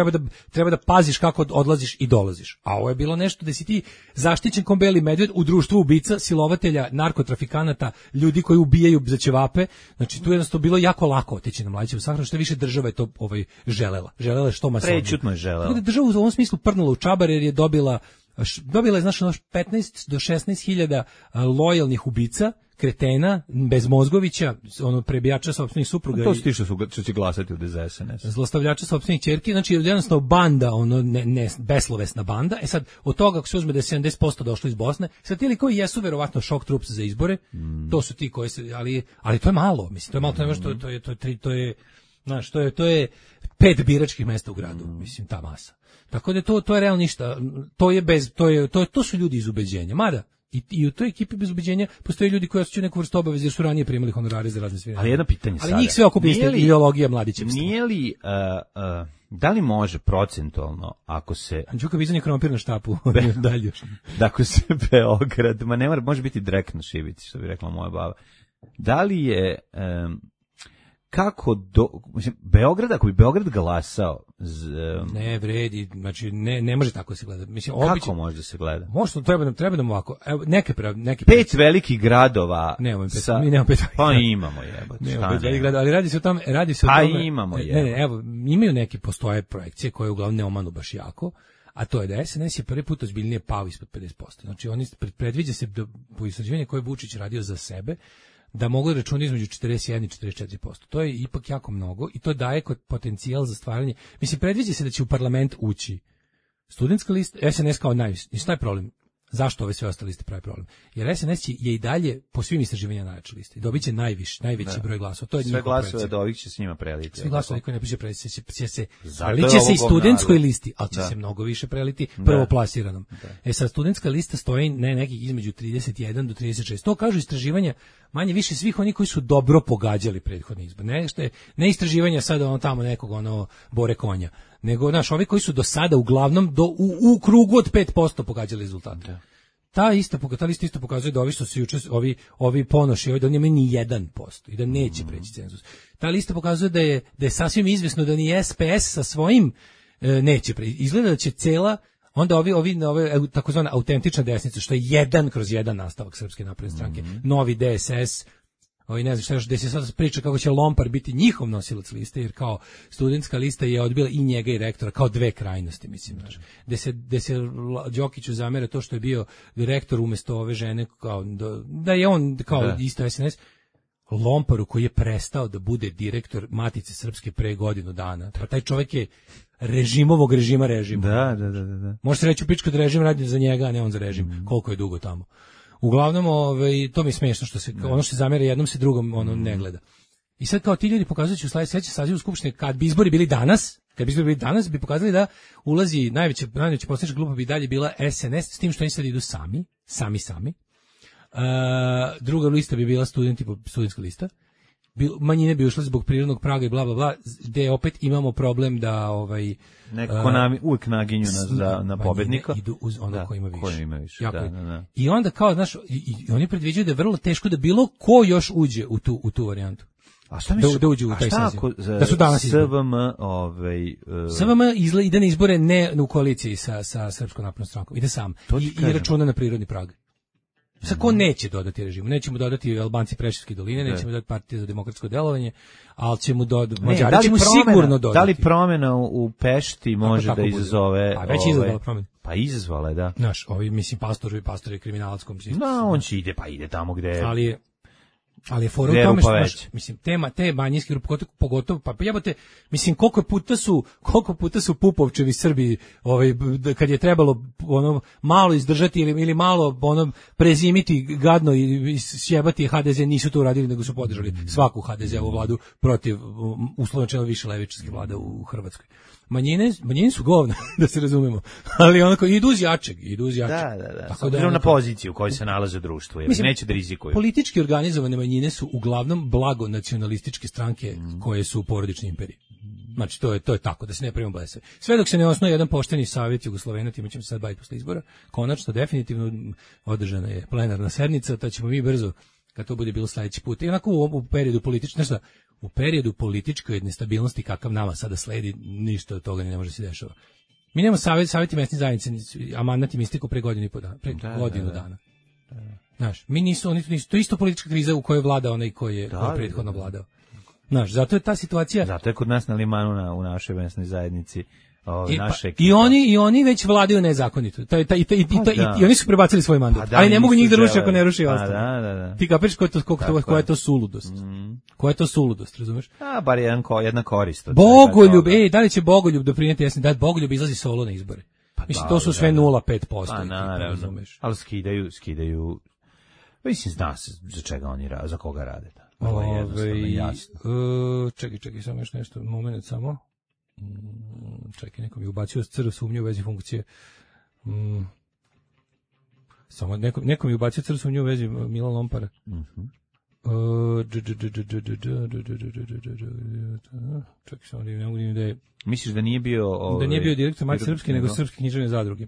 treba da paziš kako odlaziš i dolaziš. A ovo je bilo nešto da si ti zaštićen kao beli medved u društvu ubica, silovatelja, narkotrafikanata, ljudi koji ubijaju za ćevape. Znači, tu je jednostavno bilo jako lako otići na mladićevu sahranu, što više država je to želela. Želela je što masovnije. Prečutno je želela. Tako da država u ovom smislu prdnula u čabar jer je dobila je, znači, 15 do 16.000 lojalnih ubica, kretena, bez mozgovića, prebijača sopstvenih supruga. To su ti što će glasati od SNS. Zlostavljača sopstvenih ćerki, znači jednostavno banda, beslovesna banda. Sad, od toga ako se uzme da je 70% došlo iz Bosne, sad ti koji jesu verovatno šok trups za izbore, to su ti koji se, ali to je malo, mislim, to je malo, to je 5 biračkih mesta u gradu, mislim, ta masa. Tako da to je realno ništa, to su ljudi iz ubeđenja, mada i u toj ekipi bez ubeđenja postoje ljudi koji osjećaju neku vrstu obaveze jer su ranije primali honorare za razne sviranje. Ali jedno pitanje sada. Ali njih sve okupi ideologija mladićevstva. Nije li, da li može procentualno, ako se... Đuka Bizan je krompir na štapu, dalje još. Da ako se Beograd, ne mora, može biti direkt na šibici, što bi rekla moja baba. Da li je... mislim, Beograd, ako bi Beograd glasao... Ne vredi, znači ne može tako se gleda. Mislim, kako može da se gleda? Možda treba nam ovako. Evo, neki 5 velikih gradova. Nemamo 5, mi nemamo 5. Pa imamo jebote. Nemamo 5 velikih gradova, ali radi se o tome. Imamo Ne, evo, imaju neki postoje projekcije koje uglavnom ne omanu baš jako, a to je da SNS je prvi put ozbiljnije pao ispod 50%. Znači, oni predviđa se po istraživanju koje je Vučić radio za sebe, da mogu da računati između 41 i 44%. To je ipak jako mnogo i to daje potencijal za stvaranje. Mislim, predviđa se da će u parlament ući studentska lista, SNS kao najviše. I šta je problem? Zašto ove sve ostale liste pravi problem? Jer SNS je i dalje po svim istraživanjima najjača lista. I dobit će najveći broj glasova. To je sve glasove da ovih će s njima preliti. Sve glasove koji ne piše preliti će se i studentskoj listi, ali će se mnogo više preliti prvoplasiranom. Sad, studentska lista stoji nekih između 31 do 36. To kažu istraživanja manje više svih oni koji su dobro pogađali prethodni izbor. Ne istraživanja sada tamo nekog Bore Konja, nego ovi koji su do sada uglavnom u krugu od 5% pogađali rezultate. Ta lista isto pokazuje da ovi što se juče ovi Ponoši, da nemaju ni 1% i da neće preći cenzus. Ta lista pokazuje da je sasvim izvesno da ni SPS sa svojim neće preći. Izgleda da će cela onda ovi takozvana autentična desnica, što je 1/1 nastavak Srpske napredne stranke, novi DSS, ne znam šta još, gde se sad priča kako će Lompar biti njihov nosilac liste, jer kao studentska lista je odbila i njega i rektora, kao dve krajnosti, mislim, znaš. Gde se Đokiću zamera to što je bio rektor umjesto ove žene, kao, da je on kao isto SNS, Lomparu koji je prestao da bude direktor Matice Srpske pre godinu dana. Pa taj čovjek je režima. Da. Može se reći u pičku da režim radi za njega, a ne on za režim. Koliko je dugo tamo. Uglavnom, to mi je smiješno što se ono što se zamera jednom se drugom ne gleda. I sad kao ti ljudi pokazujući u sledećem sazivu skupštine, kad bi izbori bili danas, bi pokazali da ulazi najveća poslanička grupa bi dalje bila SNS, s tim što oni sad idu sami. Druga lista bi bila studentska lista. Manjine bi ušle zbog prirodnog praga i bla bla bla, gde opet imamo problem da nekako uvijek naginju na pobednika. Idu uz ono ko ima više. Da. I onda kao, znaš, i oni predviđaju da je vrlo teško da bilo ko još uđe u tu varijantu. A šta misliš? Da uđe u taj saziv. Da su danas SVM ide na izbore ne u koaliciji sa Srpskom naprednom strankom. Ide sam. I računa na prirodni prag. Sad ko neće dodati režimu? Nećemo dodati Albanci Preševske doline, nećemo dodati Partija za demokratsko delovanje, ali ćemo dodati Mađari ćemo sigurno dodati. Da li promjena u Pešti može da izazove... A već izazvala promjena. Pa izazvala je, da. Znaš, mislim, pastor je kriminalac kom se... No, on će ide tamo gde... Ali je... Ali je fora u tome što, mislim, te manjinske grupe, pogotovo, pa jebote, mislim, koliko puta su Pupovčevi Srbi, kad je trebalo ono malo izdržati ili malo ono prezimiti gadno i sjebati HDZ, nisu to uradili, nego su podržali svaku HDZ-ovu vladu protiv, uslovno rečeno, više levičarskih vlada u Hrvatskoj. Manjine su govna, da se razumemo, ali onako idu uz jačeg. Da. Tako da na poziciju u kojoj se nalaze društvo, jer neće da rizikuju. Politički organizovane manjine su uglavnom blago nacionalističke stranke koje su u porodičnoj imperiji. Znači, to je tako, da se ne pravimo blese. Sve dok se ne osnuje jedan pošteni savjet Jugoslovena, time ćemo se sad baviti posle izbora, konačno, definitivno, održana je plenarna sednica, to ćemo mi brzo, kad to bude bilo sledeći put. I onako u periodu u periodu političke nestabilnosti kakav nama sada sledi, ništa od toga ne može se dešava. Mi nemamo savjeti mesne zajednice, a mandat im istiku pre godinu dana. Znaš, mi nisu, to je isto politička kriza u kojoj vlada onaj koji je prethodno vladao. Znaš, zato je ta situacija. Zato je kod nas na Limanu u našoj mesnoj zajednici I oni već vladaju nezakonito. I oni su prebacili svoj mandat. Ali ne mogu njih da ruše ako ne ruši ostalo. Da. Ti kapiraš koja je to suludost? Koja je to suludost, razumeš? Bar jedna korist. Bogoljub, da li će Bogoljub doprinijeti? Jasno, da Bogoljub izlazi solo na izbore. Mislim, to su sve 0,5%. Pa naravno, ali skidaju. Mislim, zna se za čega oni rade, za koga rade. Ovo je jednostavno jasno. Čekaj, samo još nešto, moment samo. Čekaj, neko mi ubacio crv sumnje u vezi funkcije. Samo neko mi ubacio crv sumnje u vezi Milan Lompara. Čekaj, samo ne mogu da je... Misliš da nije bio... Da nije bio direktor Matice Srpske, nego Srpske književne zadruge.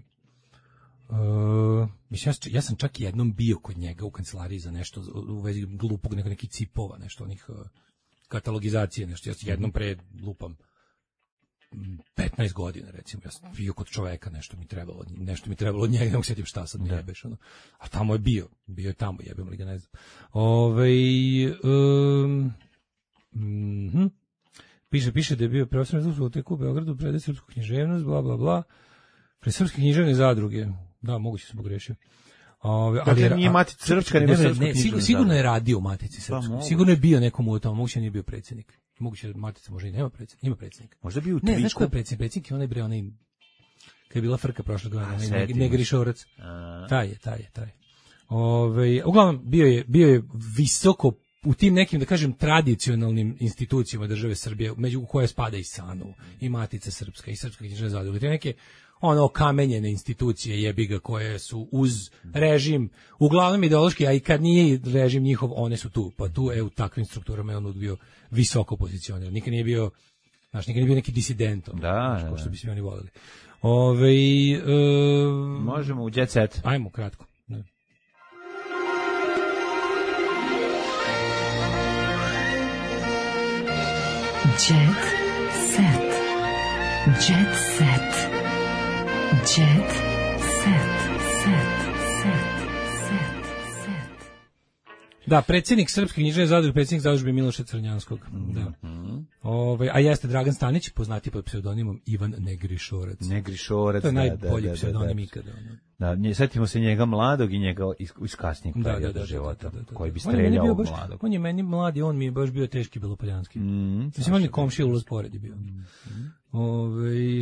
Mislim, ja sam čak jednom bio kod njega u kancelariji za nešto u vezi glupog, nekih cipova, nešto onih katalogizacije, nešto. Ja sam jednom pre lupam 15 godina, recimo, ja sam bio kod čoveka, nešto mi trebalo od njega, ne mogu sjetim šta sad mi jebeš, ono. A tamo je bio je tamo, jebem li ga, ne znam. Piše da je bio profesor na fakultetu u Beogradu, predaje srpsku književnost, bla, bla, bla, pre srpske književne zadruge, da, moguće sam pogrešio. Ali nije Matica Srpska, nego Srpska književna. Sigurno je radio u Matici Srpskoj, sigurno je bio nekom u tome, moguće nije bio predsjednik. Moguće Matica možda i nema predsjednika, ima predsjednika. Možda bio u Tviku. Ne, znaš ko je predsjednik? Predsjednik je onaj kad je bila frka prošle godine, Negrišorac. Taj je. Uglavnom, bio je visoko u tim nekim, da kažem, tradicionalnim institucijama države Srbije, među koje spada i SANU, i Matica Srpska, i Srpska književna zadruga. Te neke okamenjene institucije jebiga koje su uz režim, uglavnom ideološki, a i kad nije režim njihov, one su tu. Pa tu u takvim strukturama je on bio visoko pozicioniran. Nikad nije bio neki disident. Kao što bi svi oni volili. Možemo u Jet Set. Ajmo, kratko. Ne. Jet Set. Jet Set. Jet Set. Da, predsjednik Srpske književne zadruge, predsjednik zadružbe Miloša Crnjanskog. Da. A jeste Dragan Stanić, poznati pod pseudonimom Ivan Negrišorac. To je najbolji pseudonim ikada. Da, setimo se njega mladog i njega iz kasnijeg perioda života, koji bi streljao mladog. On je meni mladi, on mi je baš bio teški belopoljanski. Mislim, on mi komšija ulaz pored je bio.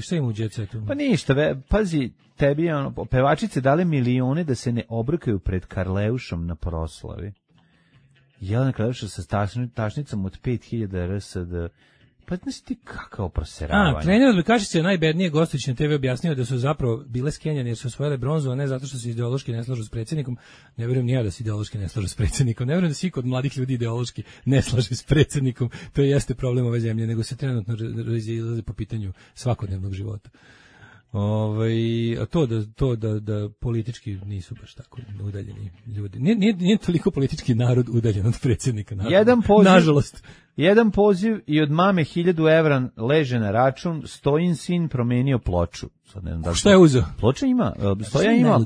Šta ima u Jet Setu? Pa ništa, pazi, tebi je pevačice dale milione da se ne obrkaju pred Karleušom na proslavi. Jelena Karleuša sa tašnicom od 5000 RSD. Pa znaš ti kakao proseravanje. Trener odbojkašice je najbednije gostujući na TV objasnio da su zapravo bile skenjane jer su osvojile bronzu, a ne zato što se ideološki ne slažu s predsjednikom. Ne vjerujem ni ja da se ideološki ne slažu s predsjednikom. Ne vjerujem da se kod mladih ljudi ideološki ne slaže s predsjednikom. To jeste problem ove zemlje, nego se trenutno razilaze po pitanju svakodnevnog života. To da politički nisu baš tako udaljeni ljudi. Nije toliko politički narod udaljen od predsjednika. Nažalost. Jedan poziv i od mame 1000 evra leže na račun, Stojin sin promenio ploču. Sad ne znam da šta je uzeo? Ploča ima, Stoja ima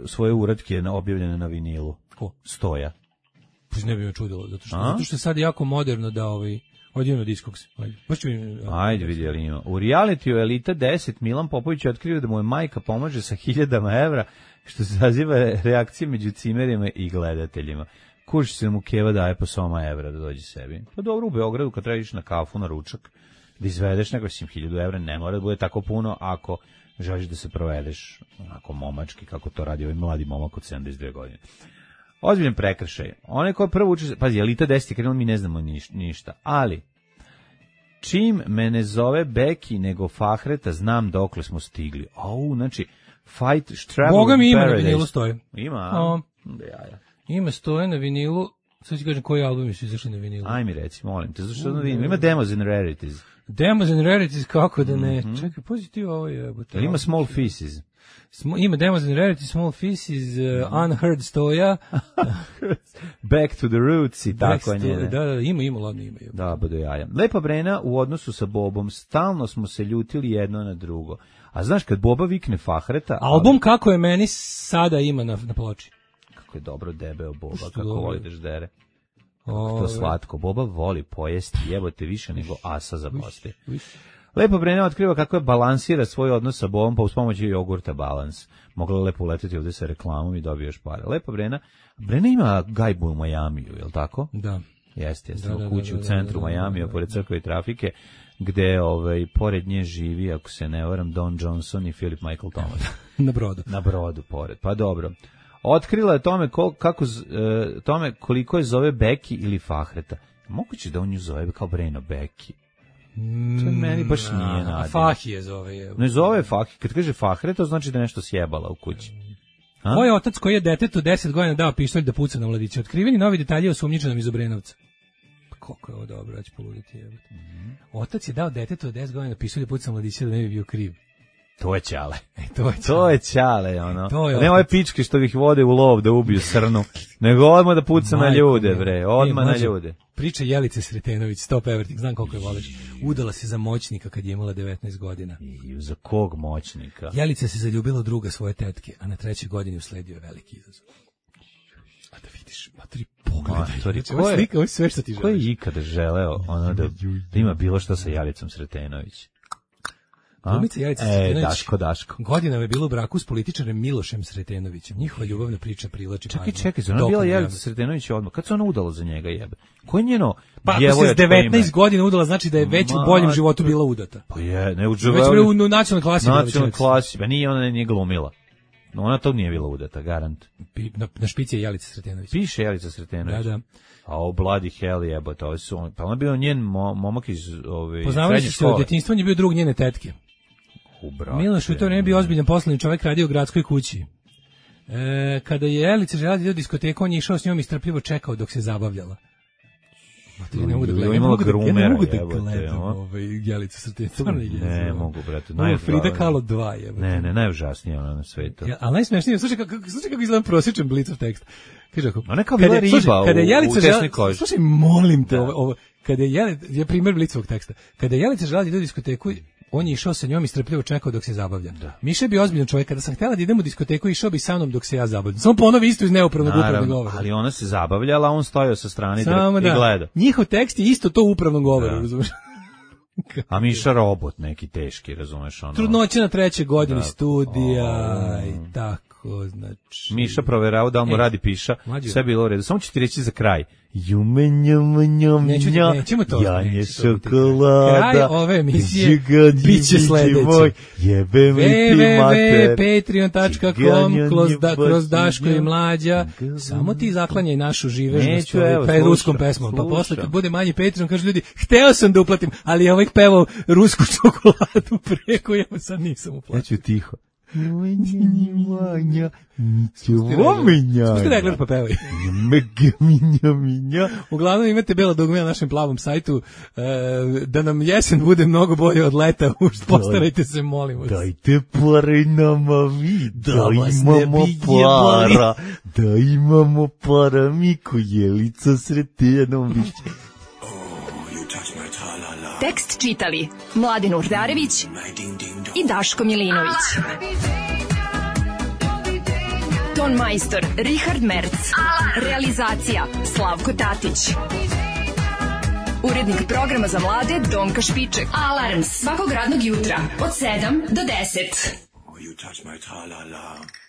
svoje uratke objavljene na vinilu. Ko? Stoja. Ne bi me čudilo, zato što je sad jako moderno da Odjedno Discogs. Ajde, vidjeli ima. U realitiju Elita 10 Milan Popović je otkrio da mu je majka pomaže sa 1000 evra, što zaziva reakcije među cimerima i gledateljima. Kužiš se da mu Keva daje po 100 evra da dođe sebi. Pa dobro, u Beogradu kad trebaš na kafu, na ručak, da izvedeš nego 1000 evra, ne mora da bude tako puno ako želiš da se provedeš onako momački, kako to radi ovaj mladi momak od 72 godine. Ozbiljan prekršaj. Onaj ko prvo uči, pazi, Elita 10 je krenuo, mi ne znamo ništa, ali čim me ne zove Beki nego Fahreta, znam dokle smo stigli. Znači, Fight, Travel Boga mi ima Paradise. na vinilu stoje. Ima, Ima stoje na vinilu, sad ću kažem koji albumi su izašli na vinilu. Aj mi reci, molim te, zašto da vidim, ima Demos and Rarities. Demos and Rarities, kako da ne, čekaj, pozitiv ovo je. Ima Small Faces. Ima Demos and Rarities, Small Faces, Unheard stoja. Back to the Roots i tako njene. Da, ima, ladno ima. Da, bude jaja. Lepa Brena u odnosu sa Bobom, stalno smo se ljutili jedno na drugo. A znaš, kad Boba vikne Fahreta... Album kako je meni sada ima na ploči. Kako je dobro debeo Boba, kako voli da ždere. Kako to slatko. Boba voli pojesti, jebote više nego asa za poste. Lepo Brena otkriva kako je balansira svoj odnos sa Bobom, pa uz pomoć jogurta balans. Mogla lepo uletiti ovde sa reklamom i dobiješ pare. Lepo Brena ima gajbu u Majamiju, je li tako? Da. Jeste, u kući u centru Majamija, pored crkve i trafike, gde pored nje živi, ako se ne varam, Don Johnson i Philip Michael Thomas. Na brodu, pored. Pa dobro. Otkrila je tome koliko je zove Beki ili Fahreta. Moguće da on nju zove kao Breno Beki. To meni baš nije nadima. A Fahi je zove. Ne zove Fahi. Kad kaže Fahreta, znači da nešto sjebala u kući. Moj otac koji je detetu 10 godina dao pištolj da puca na mladića. Otkriveni novi detalji o osumnjičenom iz Obrenovca. Koliko je ovo dobro, ja ću poluditi. Otac je dao detetu 10 godina pištolj da puca na mladića da ne bi bio kriv. To je ćale. To je ćale, ono. Ne ove pičke što ih vode u lov da ubiju srnu, nego odmah da puca na ljude, bre. Odmah na ljude. Priča Jelice Sretenović, Stop Everything, znam koliko je voliš. Udala se za moćnika kad je imala 19 godina. I za kog moćnika? Jelica se zaljubila u druga svoje tetke, a na 3. godini usledio veliki izazov. A da vidiš, matri, pogledaj. Ovo je sve što ti želiš. Ko je ikada želeo da ima bilo što sa Jelicom Sretenović? Glumica Jelica Sretenović. Daško. Godinama je bilo u braku s političarem Milošem Sretenovićem. Njihova ljubavna priča privlači pažnju. Čekaj, ona bila Jelica Sretenović odmah. Kad se ona udala za njega, jebe? Ko je njeno djevoječko ime? Pa ako se s 19 godina udala, znači da je već u boljem životu bila udata. Pa je, ne već u nacionalnoj klasi. Nacionalnoj klasi, pa nije ona nije glumila. Ona to nije bila udata, garant. Na špici je Jelica Sretenović. Piše Jelica Sretenović. Da. A o bloody hell jebote, pa on je bio njen momak iz poznavali se od djetinjstva, on je bio drug njene tetke. Miloš u to vreme bio ozbiljan poslovni čovjek, radio u gradskoj kući. Kada je Jelica željela da ide u diskoteku, on je išao s njom i strpljivo čekao dok se zabavljala. Ja ne mogu da gledam Jelicu Sretenović. Ne mogu, brate. Frida Kahlo 2. Ne, najužasnije ona na svetu. Ali najsmešnije, slušaj kako izgleda prosječan Blicov tekst. Kaže ako, ona kao bila riba u tesnoj koži. Slušaj, molim te, kada je Jelica, je primjer Blicovog teksta, kada je Jelica željela da ide u diskoteku, on je išao sa njom i strpljivo čekao dok se zabavlja. Miša je bio ozbiljan čovjek, kada sam htjela da idemo u diskoteku, išao bi sa mnom dok se ja zabavljam. Samo ponovi isto iz neupravnog upravnog govora. Ali ona se zabavljala, on stojao sa strane i gleda. Njihov tekst je isto to u upravnom govoru, razumiješ? A Miša robot neki teški, razumeš? Trudnoća na 3. godini studija i tako, znači... Miša proverao da mu radi piša, sve bilo u redu. Samo ću ti reći za kraj. Nećemo to. Janje šokolada. Kraj ove emisije biće sledeće. Jebem li ti mater. www.patreon.com kroz Daško i Mlađa. Samo ti zaklanjaj našu živežnost pred ruskom pesmom. Pa posle kad bude manji Patreon, kažu ljudi, hteo sam da uplatim, ali je ovaj pevao rusku čokoladu preko, ja sad nisam uplatio. Ja ću tiho. Spusti regler pa pevaj. Uglavnom imate belo dugme na našem plavom sajtu. Da nam jesen bude mnogo bolje od leta, postarajte se, molim vas. Dajte pare nama vi, da imamo para, da imamo para, Miko Jelica Sretenović. Tekst čitali Mladin Urdarević i Daško Milinović. Ton majstor Richard Merc. Realizacija Slavko Tatić. Urednik programa za mlade Donka Špiček. Alarms svakog radnog jutra od 7 do 10. Oh, you touch my tra-la-la.